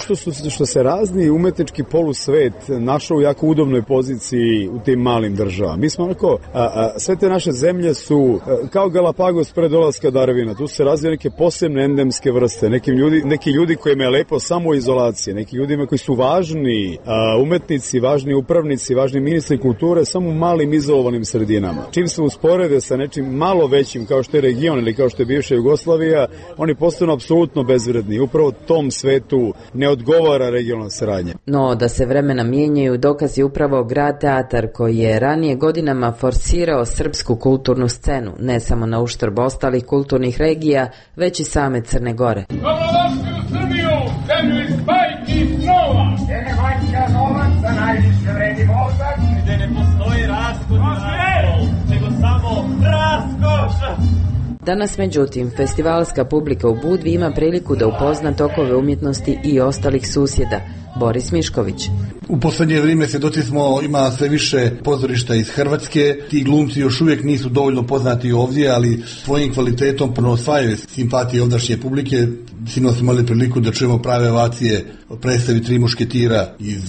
što se razni umetnički polusvet našao u jako udobnoj poziciji u tim malim državama. Mi smo onako, sve te naše zemlje su kao Galapagos pre dolaska Darwina. Tu se razvije neke posebne endemske vrste, neki ljudi kojima je lepo samo izolacije, neki ljudima koji su važni umetnici, važni upravnici, važni ministri kulture samo u malim izolovanim sredinama. Čim se usporede sa nečim malo većim kao što je region ili kao što je bivša Jugoslavija, oni postanu apsolutno bezvredni. Upravo tom svetu ne odgovara regionalna saradnja. No, da se vremena mijenjaju dokaz je upravo Grad Teatar, koji je ranije godinama forsirao srpsku kulturnu scenu, ne samo na uštrb ostalih kulturnih regija, već i same Crne Gore. Dobrodošli u Srbiju, zemlju iz bajki i snova, gdje ne vanjka novac, a najviše vredi mozak, gdje ne postoji raskod nego samo raskoš. Danas, međutim, festivalska publika u Budvi ima priliku da upozna tokove umjetnosti i ostalih susjeda. Boris Mišković. U poslednje vrijeme svjedoci smo, ima sve više pozorišta iz Hrvatske. Ti glumci još uvijek nisu dovoljno poznati ovdje, ali svojim kvalitetom osvajaju simpatije ovdašnje publike. Sinoć smo imali priliku da čujemo prave ovacije o predstavi Tri mušketira iz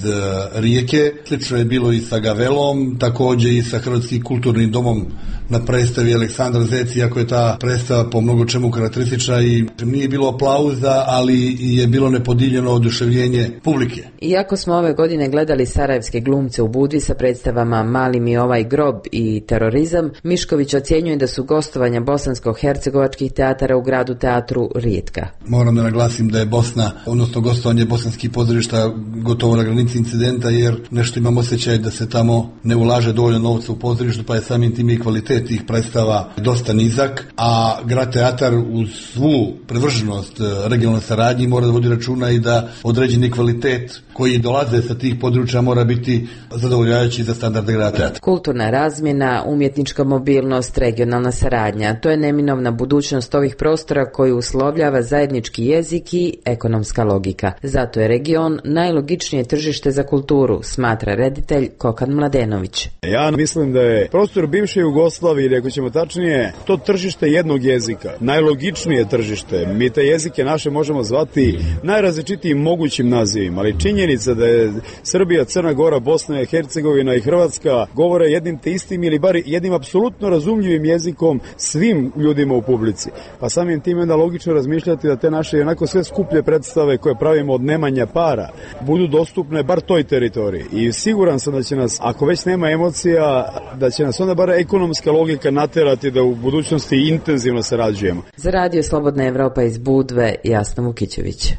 Rijeke. Slično je bilo i sa Gavelom, također i sa Hrvatskim kulturnim domom na predstavi Aleksandar Zec, iako je ta predstava po mnogo čemu karakteristična i nije bilo aplauza, ali je bilo nepodijeljeno oduševljenje publike. Iako smo ove godine gledali sarajevske glumce u Budvi sa predstavama Mali mi ovaj grob i Terorizam, Mišković ocjenjuje da su gostovanja bosansko-hercegovačkih teatara u Gradu Teatru rijetka. Moram da naglasim da je Bosna, odnosno gostovanje bosanskih pozorišta gotovo na granici incidenta, jer nešto imam osjećaj da se tamo ne ulaže dovoljno novca u pozorištu, pa je samim tim i kvalitet tih predstava dosta nizak, a Grad Teatar uz svu privrženost regionalnoj saradnji mora da vodi računa i da određeni kvalitet koji dolaze sa tih područja mora biti zadovoljavajući za standarde Grada Teatra. Kulturna razmjena, umjetnička mobilnost, regionalna saradnja, to je neminovna budućnost ovih prostora koji uslovljava zajednički jezik i ekonomska logika. Zato je region najlogičnije tržište za kulturu, smatra reditelj Kokan Mladenović. Ja mislim da je prostor bivše Jugoslavije, ili ako ćemo tačnije, to tržište jednog jezika, najlogičnije tržište. Mi te jezike naše možemo zvati najrazličitijim mogućim nazivima, ali činjenica da je Srbija, Crna Gora, Bosna i Hercegovina i Hrvatska govore jednim te istim ili bar jednim apsolutno razumljivim jezikom svim ljudima u publici. Pa samim tim onda logično razmišljati da te naše onako sve skuplje predstave koje pravimo od nemanja para budu dostupne bar toj teritoriji. I siguran sam da će nas, ako već nema emocija, da će nas onda bar ekonomska logika naterati da u budućnosti intenzivno sarađujemo. Za Radio Slobodna Evropa iz Budve, Jasna Vukićević.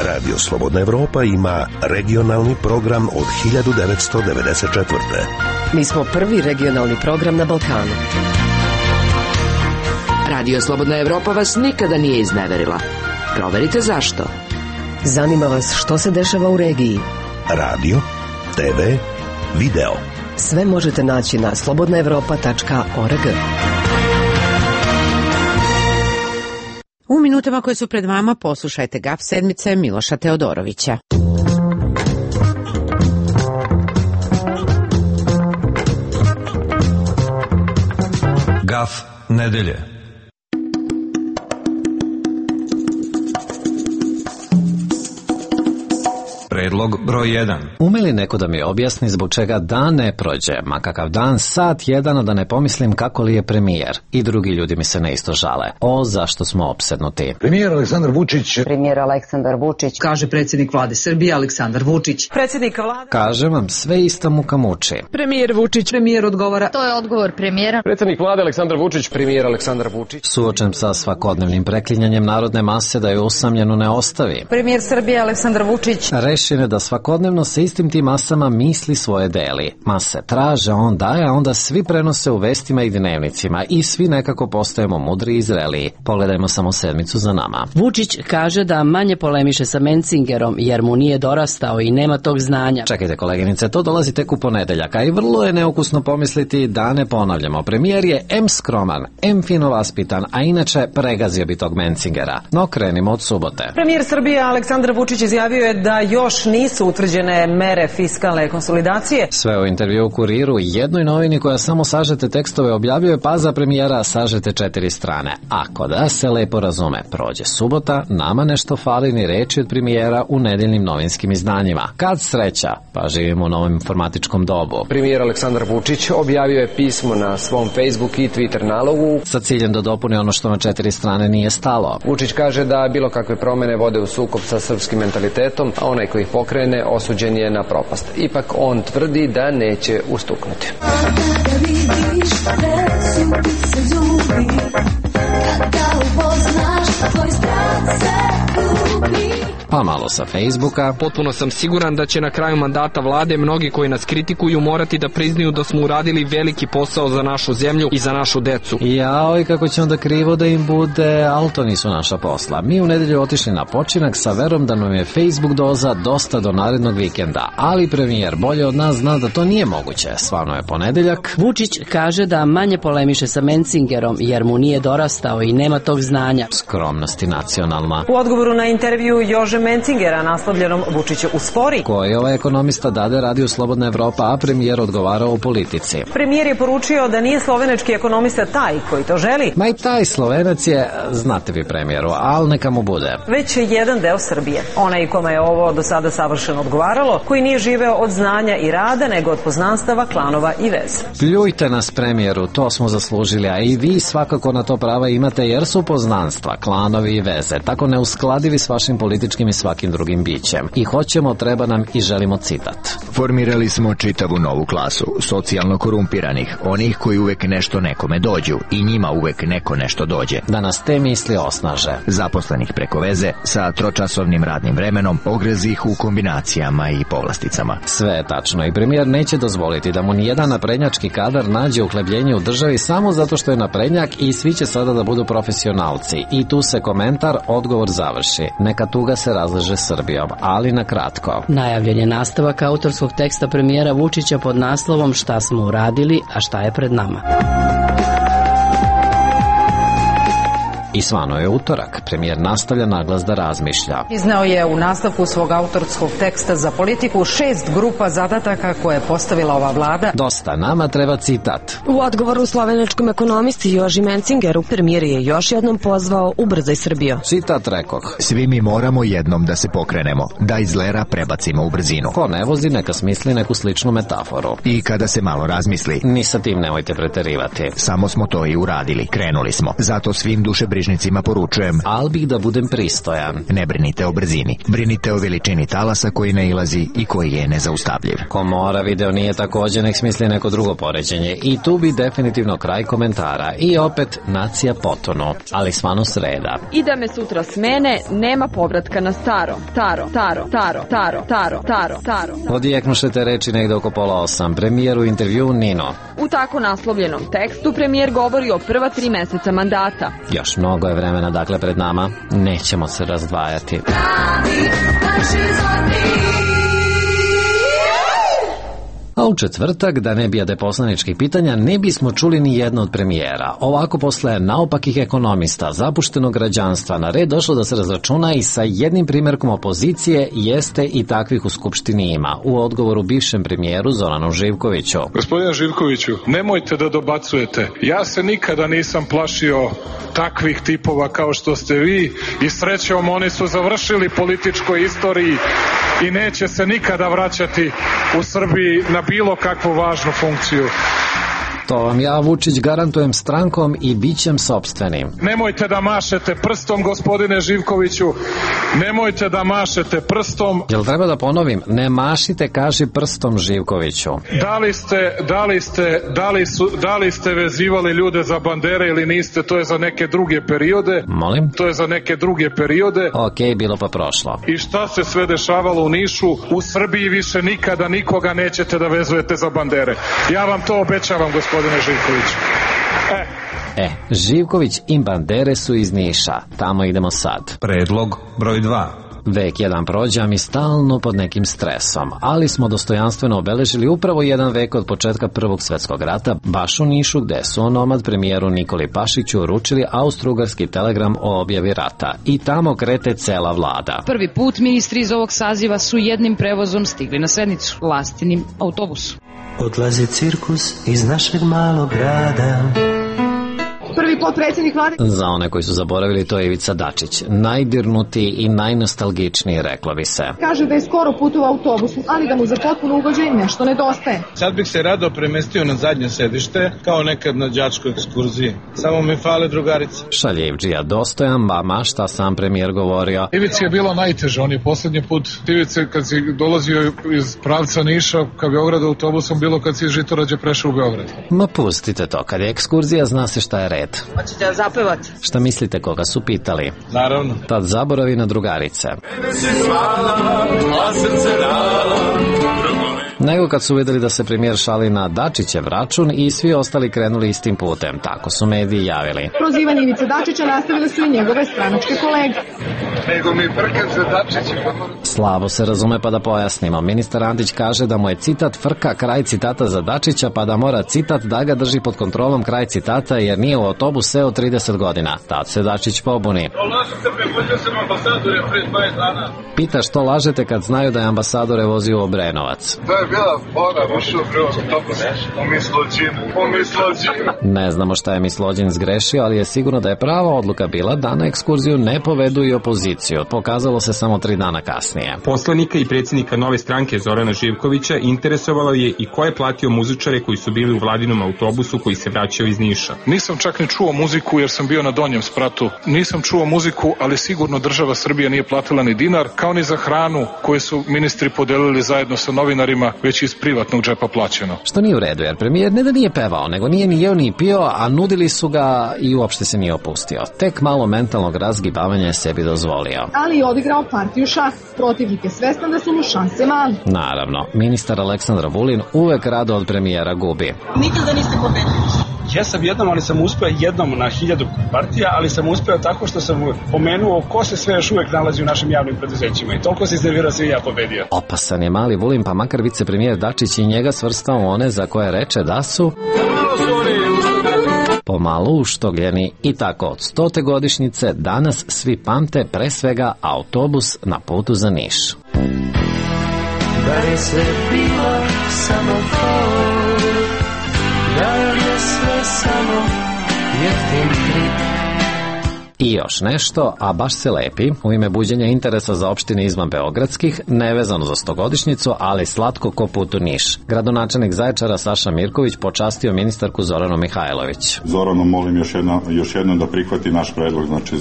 Radio Slobodna Evropa ima regionalni program od 1994. Mi smo prvi regionalni program na Balkanu. Radio Slobodna Evropa vas nikada nije izneverila. Proverite zašto. Zanima vas što se dešava u regiji. Radio, TV, video. Sve možete naći na slobodnaevropa.org. U minutama koje su pred vama poslušajte Gaf sedmice Miloša Teodorovića. Gaf nedelje. Predlog broj 1. Ume li neko da mi objasni zbog čega dan ne prođe, ma kakav dan, sat jedan, a da ne pomislim kako li je premijer? I drugi ljudi mi se ne isto žale. O, zašto smo opsednuti? Premijer Aleksandar Vučić. Premijer Aleksandar Vučić. Kaže predsjednik vlade Srbije Aleksandar Vučić. Predsjednik vlade. Kažem vam, sve ista muka muči. Premijer Vučić. Premijer odgovara. To je odgovor premijera. Predsjednik vlade Aleksandar Vučić. Premijer Aleksandar Vučić. Suočen sa svakodnevnim preklinjanjem narodne mase da je usamljenu ne ostavi. Premijer Srbije Aleksandar Vučić. Rešen je da svakodnevno sa istim tim masama misli svoje deli. Mase traže, on daje, a onda svi prenose u vestima i dnevnicima i svi nekako postajemo mudri i zreliji. Pogledajmo samo sedmicu za nama. Vučić kaže da manje polemiše sa Mencingerom jer mu nije dorastao i nema tog znanja. Čekajte koleginice, to dolazi tek u ponedeljak, a i vrlo je neukusno pomisliti da ne ponavljamo. Premijer je em skroman, em fino vaspitan, a inače pregazio bi tog Mencingera. No krenimo od subote. Premijer Srbije Aleksandar Vučić izjavio je da još nisu utvrđene mere fiskalne konsolidacije. Sve u intervju u Kuriru, jednoj novini koja samo sažete tekstove objavljuje, pa za premijera sažete 4 strane. Ako da se lepo razume, prođe subota, nama nešto fali ni reči od premijera u nedeljnim novinskim izdanjima. Kad sreća, pa živimo u novom informatičkom dobu. Premijer Aleksandar Vučić objavio je pismo na svom Facebook i Twitter nalogu sa ciljem da dopuni ono što na 4 strane nije stalo. Vučić kaže da bilo kakve promene vode u sukob sa srpskim mentalitetom, a onaj koji ih pokrene osuđen je na propast. Ipak on tvrdi da neće ustuknuti. Pa malo sa Facebooka. Potpuno sam siguran da će na kraju mandata vlade mnogi koji nas kritikuju morati da priznaju da smo uradili veliki posao za našu zemlju i za našu decu. Jao, i kako će onda krivo da im bude, ali to nisu naša posla. Mi u nedelju otišli na počinak sa verom da nam je Facebook doza dosta do narednog vikenda, ali premijer bolje od nas zna da to nije moguće. Stvarno je ponedeljak. Vučić kaže da manje polemiše sa Mencingerom jer mu nije dorastao i nema tog znanja. Skromnost i nacionalna. U odgovoru na intervju Jože Mencingera naslovljenom Vučić uspori. Koji ovaj ekonomista dade radio Slobodna Evropa, a premijer odgovarao u politici. Premijer je poručio da nije slovenački ekonomista taj koji to želi. Ma i taj Slovenac je, znate vi premijeru, ali neka mu bude. Već je jedan deo Srbije. Onaj kome je ovo do sada savršeno odgovaralo, koji nije živeo od znanja i rada, nego od poznanstava, klanova i veze. Pljujte nas premijeru, to smo zaslužili, a i vi svakako na to prava imate jer su poznanstva, klanovi i veze, tako neuskladivi s vašim političkim i svakim drugim bićem. I hoćemo, treba nam i želimo citat. Formirali smo čitavu novu klasu, socijalno korumpiranih, onih koji uvek nešto nekome dođu i njima uvek neko nešto dođe. Da nas te misli osnaže. Zaposlenih preko veze, sa tročasovnim radnim vremenom, ogrezih u kombinacijama i povlasticama. Sve je tačno i premijer neće dozvoliti da mu nijedan naprednjački kadar nađe uhlebljenje u državi samo zato što je naprednjak i svi će sada da budu profesionalci. I tu se komentar, odgovor završi. Neka tuga se razleže Srbijom, ali na kratko. Najavljen je nastavak autorskog teksta premijera Vučića pod naslovom Šta smo uradili, a šta je pred nama. I svano je utorak. Premijer nastavlja naglas da razmišlja. Izneo je u nastavku svog autorskog teksta za politiku 6 grupa zadataka koje je postavila ova vlada. Dosta, nama treba citat. U odgovoru slovenačkom ekonomisti Joži Mencingeru premijer je još jednom pozvao ubrzaj Srbiju. Citat rekoh. Svi mi moramo jednom da se pokrenemo, da iz lera prebacimo u brzinu. Ko ne vozi, neka smisli neku sličnu metaforu. I kada se malo razmisli. Ni sa tim nemojte preterivati. Samo smo to i uradili, krenuli smo. Zato svim dušebrižnicima poručujem. Al bih da budem pristojan. Ne brinite o brzini, brinite o veličini talasa koji nailazi i koji je nezaustavljiv. Ko mora video nije također, nek smisli neko drugo poređenje. I tu bi definitivno kraj komentara. I opet nacija potonu, ali svano sreda. I da me sutra smene, nema povratka na staro. Taro. Odjeknuše te reči negde oko 7:30. Premijer u intervju Nino. U tako naslovljenom tekstu premijer govori o prva 3 meseca mandata. Još mnogo je vremena dakle pred nama, nećemo se razdvajati. A u četvrtak, da ne bijade poslaničkih pitanja, ne bismo čuli ni jedno od premijera. Ovako posle naopakih ekonomista, zapuštenog građanstva, na red došlo da se razračuna i sa jednim primjerkom opozicije, jeste i takvih u Skupštini ima. U odgovoru bivšem premijeru Zoranu Živkoviću. Gospodine Živkoviću, nemojte da dobacujete. Ja se nikada nisam plašio takvih tipova kao što ste vi i srećom oni su završili političkoj istoriji i neće se nikada vraćati u Srbiji na bilo kakvu važnu funkciju. To vam ja, Vučić, garantujem strankom i bićem sopstvenim. Nemojte da mašete prstom, gospodine Živkoviću. Nemojte da mašete prstom. Jel treba da ponovim? Ne mašite, kaži prstom, Živkoviću. Da li ste vezivali ljude za bandere ili niste, to je za neke druge periode. Molim? To je za neke druge periode. Okej, bilo pa prošlo. I šta se sve dešavalo u Nišu? U Srbiji više nikada nikoga nećete da vezujete za bandere. Ja vam to obećavam, gospodine Živković. Živković i bandere su iz Niša. Tamo idemo sad. Predlog broj 2. Vek jedan prođe, a mi stalno pod nekim stresom, ali smo dostojanstveno obeležili upravo jedan vek od početka Prvog svetskog rata, baš u Nišu, gde su onomad premijeru Nikoli Pašiću uručili austrougarski telegram o objavi rata. I tamo krete cela vlada. Prvi put ministri iz ovog saziva su jednim prevozom stigli na sednicu, Lastinim autobusom. Odlazi cirkus iz našeg malog grada. Prvi potpredsjednik vlade. Za one koji su zaboravili, to je Ivica Dačić. Najdirnutiji i najnostalgičniji, reklo bi se. Kaže da je skoro putovao autobusom, ali da mu za potpuno ugođenje nešto nedostaje. Sad bih se rado premestio na zadnje sedište, kao nekad na đačkoj ekskurziji. Samo mi fale drugarice. Šaljivdžija dostojan, ma šta sam premijer govorio. Ivici je bilo najteže, on je posljednji put Ivice kad si dolazio iz pravca Niša ka Beogradu autobusom, bilo kad si iz Žitorađe prešao u Beograd. Ma pustite to, kad je ekskurzija zna se šta je red. Hoćete da zapevati? Šta mislite, koga su pitali? Naravno. Tad zaboravi na drugarice. Nego kad su vidjeli da se premijer šali na Dačićev račun i svi ostali krenuli istim putem. Tako su mediji javili. Prozivanje Ivice Dačića nastavile su i njegove stranačke kolege. Nego mi frka za Dačića. Slabo se razume, pa da pojasnimo. Ministar Antić kaže da mu je citat frka kraj citata za Dačića, pa da mora citat da ga drži pod kontrolom kraj citata, jer nije u autobus seo 30 godina. Tad se Dačić pobuni. Pita što lažete kad znaju da je ambasadore vozio u Obrenovac. To je bila fora, ušao u autobus, Ne znamo šta je Mislođin zgrešio, ali je sigurno da je prava odluka bila da na ekskurziju ne povedu i opoziciju. Pokazalo se samo 3 dana kasnije. Poslanika i predsjednika Nove stranke Zorana Živkovića interesovalo je i ko je platio muzičare koji su bili u vladinom autobusu koji se vraćao iz Niša. Nisam čak ni čuo muziku jer sam bio na donjem spratu. Nisam čuo muziku, ali sigurno država Srbija nije platila ni dinar, kao ni za hranu koju su ministri podelili zajedno sa novinarima, već iz privatnog džepa plaćeno. Što nije u redu, jer premijer ne da nije pevao, nego nije ni jeo ni pio, a nudili su ga i uopšte se nije opustio. Tek malo mentalnog razgibavanja je sebi dozvolio. Ali je odigrao partiju šah. Protivnik je svestan da su mu šanse mali. Naravno, ministar Aleksandar Vulin uvek rado od premijera gubi. Nikada niste pobedili. Ja sam jednom na 1000 partija, ali sam uspeo tako što sam pomenuo ko se sve još uvek nalazi u našim javnim preduzećima i toliko se iznervirao se i ja pobedio. Opasan je mali Vulin, pa makar vicepremijer Dačić i njega svrstao u one za koje reče da su pomalo uštogljeni. I tako od 100. godišnjice danas svi pamte pre svega autobus na putu za Niš. Da je sve bilo samo da je sve samo jeftin trik. I još nešto, a baš se lepi, u ime buđenja interesa za opštine izvan beogradskih, nevezano za 100-godišnjicu, ali slatko ko put u Niš. Gradonačelnik Zaječara Saša Mirković počastio ministarku Zoranu Mihajlović. Zoranu molim još jednom da prihvati naš predlog, znači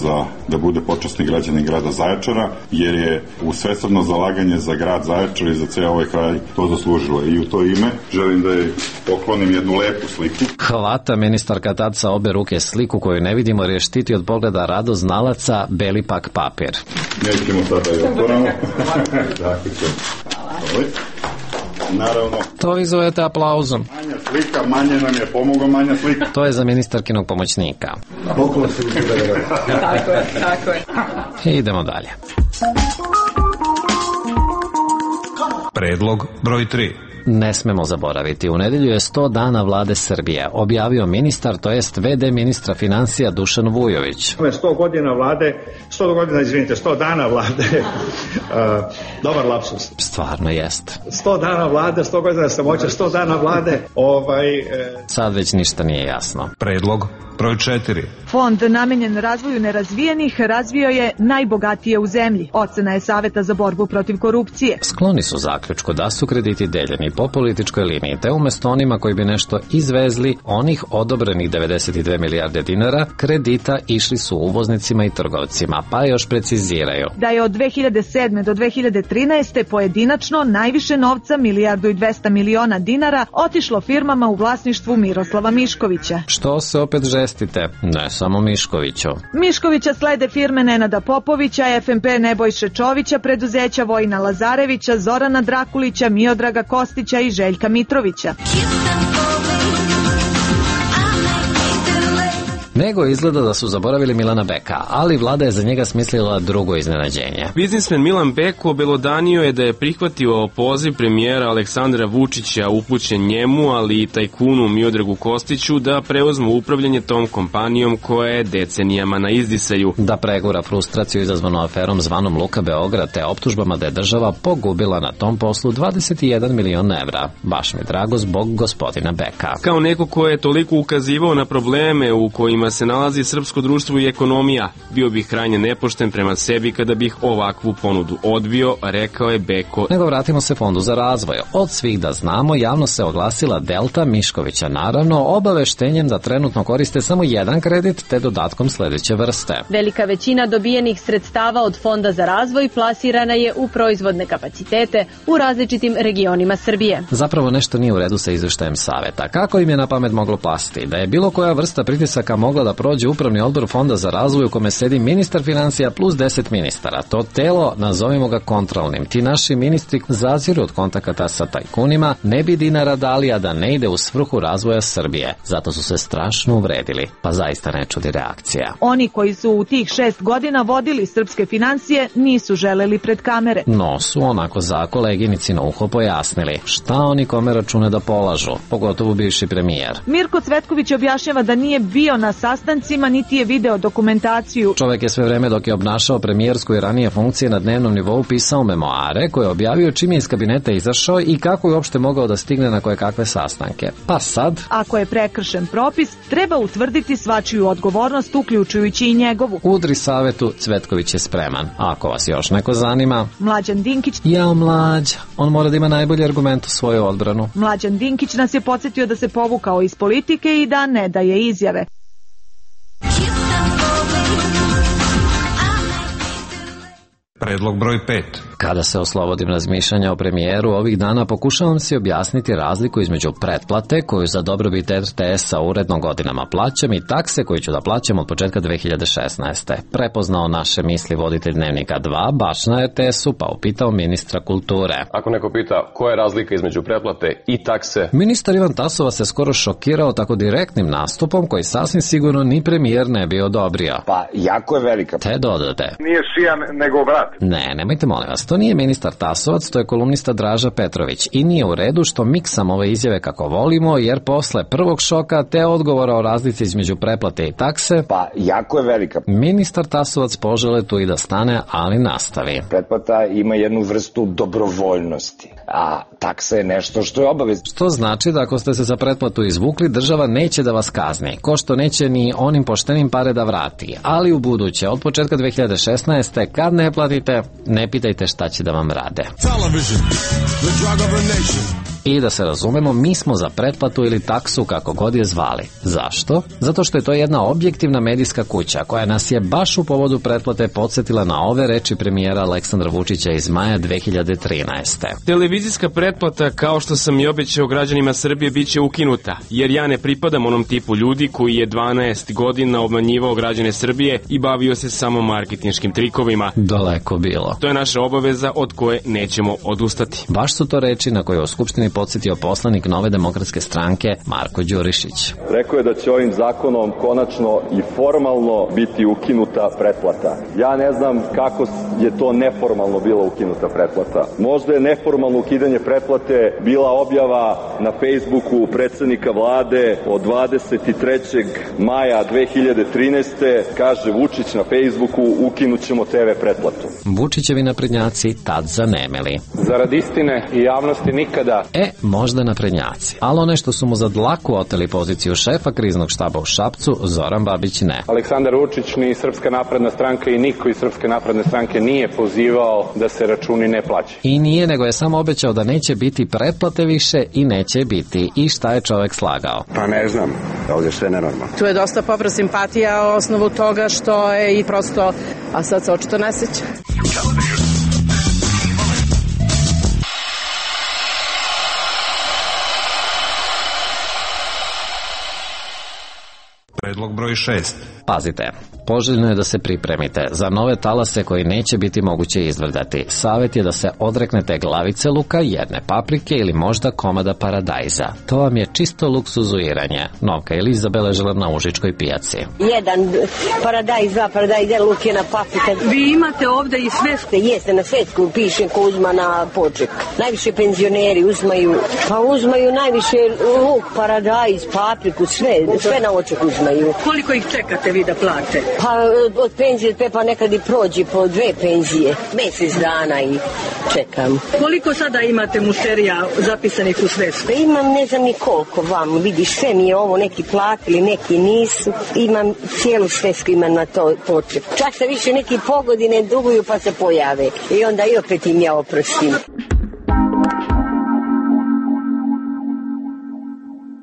da bude počasni građanin grada Zaječara, jer je u svesrdno zalaganje za grad Zaječar i za ceo ovaj kraj to zaslužilo. I u to ime želim da je poklonim jednu lepu sliku. Hvata ministarka tad sa obe ruke sliku koju ne vidimo, jer je štiti od pogleda rado znalaca beli pak papir. Nećemo sada i otvoramo. Naravno. To vi zovete aplauzom. Manja slika, manje nam je pomogao manja slika. To je za ministarkinog pomoćnika. Tako je. Idemo dalje. Predlog broj 3. Ne smemo zaboraviti, u nedelju je 100 dana vlade Srbije, objavio ministar, to jest VD ministra financija Dušan Vujović. 100 godina vlade 100 godina, izvinite, 100 dana vlade, dobar lapsus. Stvarno jest. 100 dana vlade, 100 godina samoća, 100 dana vlade, Sad već ništa nije jasno. Predlog broj 4. Fond namenjen razvoju nerazvijenih razvio je najbogatije u zemlji. Ocena je Saveta za borbu protiv korupcije. Skloni su zaključku da su krediti deljeni po političkoj liniji, te umjesto onima koji bi nešto izvezli, onih odobrenih 92 milijarde dinara kredita išli su uvoznicima i trgovcima, pa još preciziraju. Da je od 2007. do 2013. pojedinačno najviše novca, 1,2 milijarde dinara, otišlo firmama u vlasništvu Miroslava Miškovića. Što se opet žestite? Ne samo Miškoviću. Miškovića slede firme Nenada Popovića, FMP Nebojše Čovića, preduzeća Vojina Lazarevića, Zorana Drakulića, Miodraga Kostića i Željka Mitrovića. Nego izgleda da su zaboravili Milana Beka, ali vlada je za njega smislila drugo iznenađenje. Biznismen Milan Beko obelodanio je da je prihvatio poziv premijera Aleksandra Vučića upućen njemu, ali i tajkunu Miodragu Kostiću da preuzmu upravljanje tom kompanijom koja je decenijama na izdisaju. Da pregura frustraciju izazvanu aferom zvanom Luka Beograd te optužbama da je država pogubila na tom poslu 21 milion evra. Baš mi drago zbog gospodina Beka. Kao neko ko je toliko ukazivao na probleme u kojima se nalazi srpsko društvo i ekonomija, bio bih krajnje nepošten prema sebi kada bih ovakvu ponudu odbio, rekao je Beko. Nego vratimo se Fondu za razvoj. Od svih da znamo, javno se oglasila Delta Miškovića, naravno obaveštenjem da trenutno koriste samo jedan kredit te dodatkom sledeće vrste. Velika većina dobijenih sredstava od Fonda za razvoj plasirana je u proizvodne kapacitete u različitim regionima Srbije. Zapravo nešto nije u redu sa izveštajem saveta. Kako im je na pamet moglo pasti? Da je bilo koja vrsta pritisaka mogla da prođe upravni odbor Fonda za razvoj u kome sedi ministar financija plus 10 ministara. To telo, nazovimo ga kontrolnim. Ti naši ministri zaziru od kontakata sa tajkunima, ne bi dinara dali, a da ne ide u svrhu razvoja Srbije. Zato su se strašno uvredili. Pa zaista ne čudi reakcija. Oni koji su u tih 6 godina vodili srpske financije nisu želeli pred kamere. No su onako za koleginici na uho pojasnili šta oni kome račune da polažu, pogotovo bivši premijer. Mirko Cvetković objašnjava da nije bio na sastancima niti je video dokumentaciju. Čovjek je sve vreme dok je obnašao premijersku i ranije funkcije na dnevnom nivou pisao memoare koje je objavio čim je iz kabineta izašao i kako je uopšte mogao da stigne na koje kakve sastanke. Pa sad, ako je prekršen propis, treba utvrditi svačiju odgovornost, uključujući i njegovu. Udri savetu, Cvetković je spreman. A ako vas još neko zanima, Mlađan Dinkić. Jao Mlađa, on mora da ima najbolji argument u svoju odbranu. Mlađan Dinkić nas je podsjetio da se povukao iz politike i da ne daje izjave. Predlog broj 5. Kada se oslobodim razmišljanja o premijeru, ovih dana pokušavam si objasniti razliku između pretplate koju za dobrobit RTS-a uredno godinama plaćam i takse koju ću da plaćam od početka 2016. Prepoznao naše misli voditelj Dnevnika 2 baš na RTS-u pa upitao ministra kulture. Ako neko pita koja je razlika između pretplate i takse... Ministar Ivan Tasovac se skoro šokirao tako direktnim nastupom koji sasvim sigurno ni premijer ne bi odobrio. Pa jako je velika. Te dodate. Nije šijan nego brat. Ne, nemojte molim vas, to nije ministar Tasovac, to je kolumnista Draža Petrović i nije u redu što miksam ove izjave kako volimo, jer posle prvog šoka te odgovora o razlici između pretplate i takse, pa jako je velika. Ministar Tasovac požele tu i da stane, ali nastavi. Pretplata ima jednu vrstu dobrovoljnosti, a taksa je nešto što je obavezno. Što znači da ako ste se za pretplatu izvukli, država neće da vas kazni, ko što neće ni onim poštenim pare da vrati, ali u buduće, od početka 2016. kad ne platite, ne pitajte šta će da vam rade. I da se razumemo, mi smo za pretplatu ili taksu kako god je zvali. Zašto? Zato što je to jedna objektivna medijska kuća koja nas je baš u povodu pretplate podsjetila na ove reči premijera Aleksandra Vučića iz maja 2013. Televizijska pretplata, kao što sam i obećao građanima Srbije, bit će ukinuta, jer ja ne pripadam onom tipu ljudi koji je 12 godina obmanjivao građane Srbije i bavio se samo marketinškim trikovima. Daleko bilo. To je naša obaveza od koje nećemo odustati. Baš su to reči na koje u Skupštini podsjetio poslanik Nove demokratske stranke Marko Đurišić. Rekao je da će ovim zakonom konačno i formalno biti ukinuta pretplata. Ja ne znam kako je to neformalno bila ukinuta pretplata. Možda je neformalno ukidanje pretplate bila objava na Facebooku predsednika vlade od 23. maja 2013. Kaže Vučić na Facebooku ukinut ćemo TV pretplatu. Vučićevi naprednjaci tad zanemeli. Zarad istine i javnosti nikada. Možda naprednjaci. Ali one što su mu za dlaku oteli poziciju šefa kriznog štaba u Šapcu, Zoran Babić ne. Aleksandar Vučić ni Srpska napredna stranka i niko iz Srpske napredne stranke nije pozivao da se računi ne plaćaju. I nije, nego je samo obećao da neće biti pretplate više i neće biti. I šta je čovek slagao? Pa ne znam, ovdje sve nenormalno. Tu je dosta povrat simpatija o osnovu toga što je i prosto, a sad se očito ne seća. Predlog broj 6. Pazite, poželjno je da se pripremite za nove talase koji neće biti moguće izvrdati. Savjet je da se odreknete glavice luka, jedne paprike ili možda komada paradajza. To vam je čisto luksuzuiranje. Novka ili zabeležila na Užičkoj pijaci. Jedan paradajz, dva paradajz, jedan luk, jedna paprika. Vi imate ovde i svesku? Jeste, na svesku piše ko uzma na poček. Najviše penzioneri uzmaju najviše luk, paradajz, papriku, sve na oček uzmaju. Koliko ih čekate vi da plate? Pa od penzije pa nekad i prođe po 2 penzije. Mesec dana i čekam. Koliko sada imate mušterija zapisanih u svesku? Pa imam ne znam ni koliko vam. Vidiš, sve mi je ovo, neki platili, neki nisu. Imam cijelu svesku, imam na to poček. Čak se više neki pogodine duguju pa se pojave. I onda i opet im ja oprostim.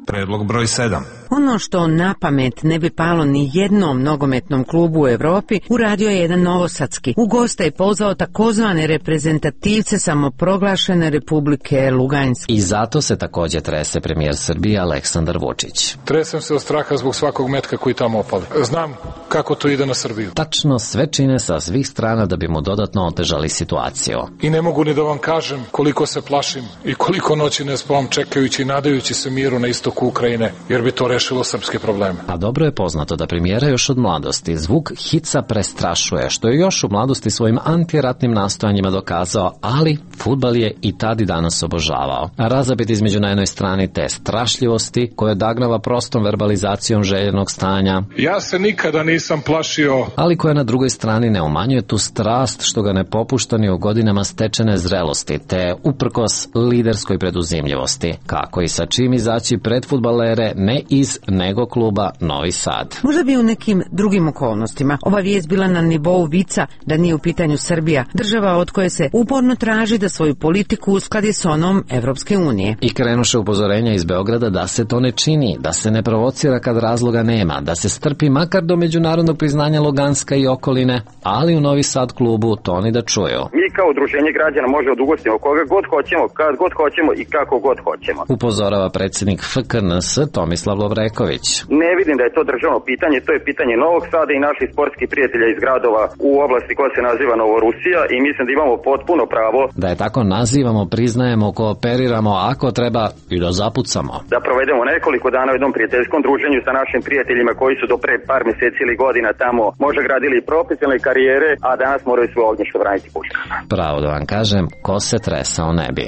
Predlog broj 7. Ono što na pamet ne bi palo ni jednom nogometnom klubu u Evropi, uradio je jedan novosadski. U gosta je pozvao takozvane reprezentativce samoproglašene Republike Lugansk. I zato se takođe trese premijer Srbije Aleksandar Vučić. Tresem se od straha zbog svakog metka koji tamo opali. Znam kako to ide na Srbiju. Tačno sve čine sa svih strana da bi mu dodatno otežali situaciju. I ne mogu ni da vam kažem koliko se plašim i koliko noći ne spavam čekajući i nadajući se miru na istoku Ukrajine, jer bi to rešilo srpske probleme. A dobro je poznato da premijera još od mladosti zvuk hica prestrašuje, što je još u mladosti svojim antiratnim nastojanjima dokazao, ali fudbal je i tad i danas obožavao. A razapet između na jednoj strani te strašljivosti koje dagnava prostom verbalizacijom željenog stanja. Ja se nikada nisam plašio. Ali koja na drugoj strani ne umanjuje tu strast što ga ne popušta ni u godinama stečene zrelosti, te uprkos liderskoj preduzimljivosti. Kako i sa čim izaći pred fudbalere ne iz nego kluba Novi Sad. Možda bi u nekim drugim okolnostima ova vijest bila na nivou vica da nije u pitanju Srbija, država od koje se uporno traži da svoju politiku uskladi s onom Evropske unije. I krenuše upozorenja iz Beograda da se to ne čini, da se ne provocira kad razloga nema, da se strpi makar do međunarodnog priznanja Luganska i okoline, ali u Novi Sad klubu to ni da čuju. Mi kao udruženje građana možemo da ugostimo koga god hoćemo, kad god hoćemo i kako god hoćemo. Upozorava predsjednik FKNS Tomislav Lovreković. Ne vidim da je to državno pitanje, to je pitanje Novog Sada i naših sportskih prijatelja iz gradova u oblasti koja se naziva Novorusija i mislim da imamo potpuno pravo da je tako nazivamo, priznajemo, kooperiramo, ako treba i da zapucamo. Da provedemo nekoliko dana u jednom prijateljskom druženju sa našim prijateljima koji su do pre par mjeseci ili godina tamo možda gradili profesionalne karijere, a danas moraju svoje ognjište braniti puškama. Pravo da vam kažem, ko se tresao ne bi.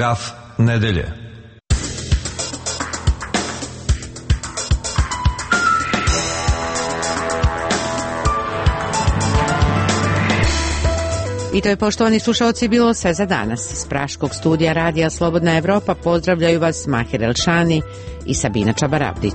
Gaf nedelje. I to je, poštovani slušalci, bilo sve za danas. Iz Praškog studija Radija Slobodna Evropa pozdravljaju vas Mahir Elšani i Sabina Čabarabdić.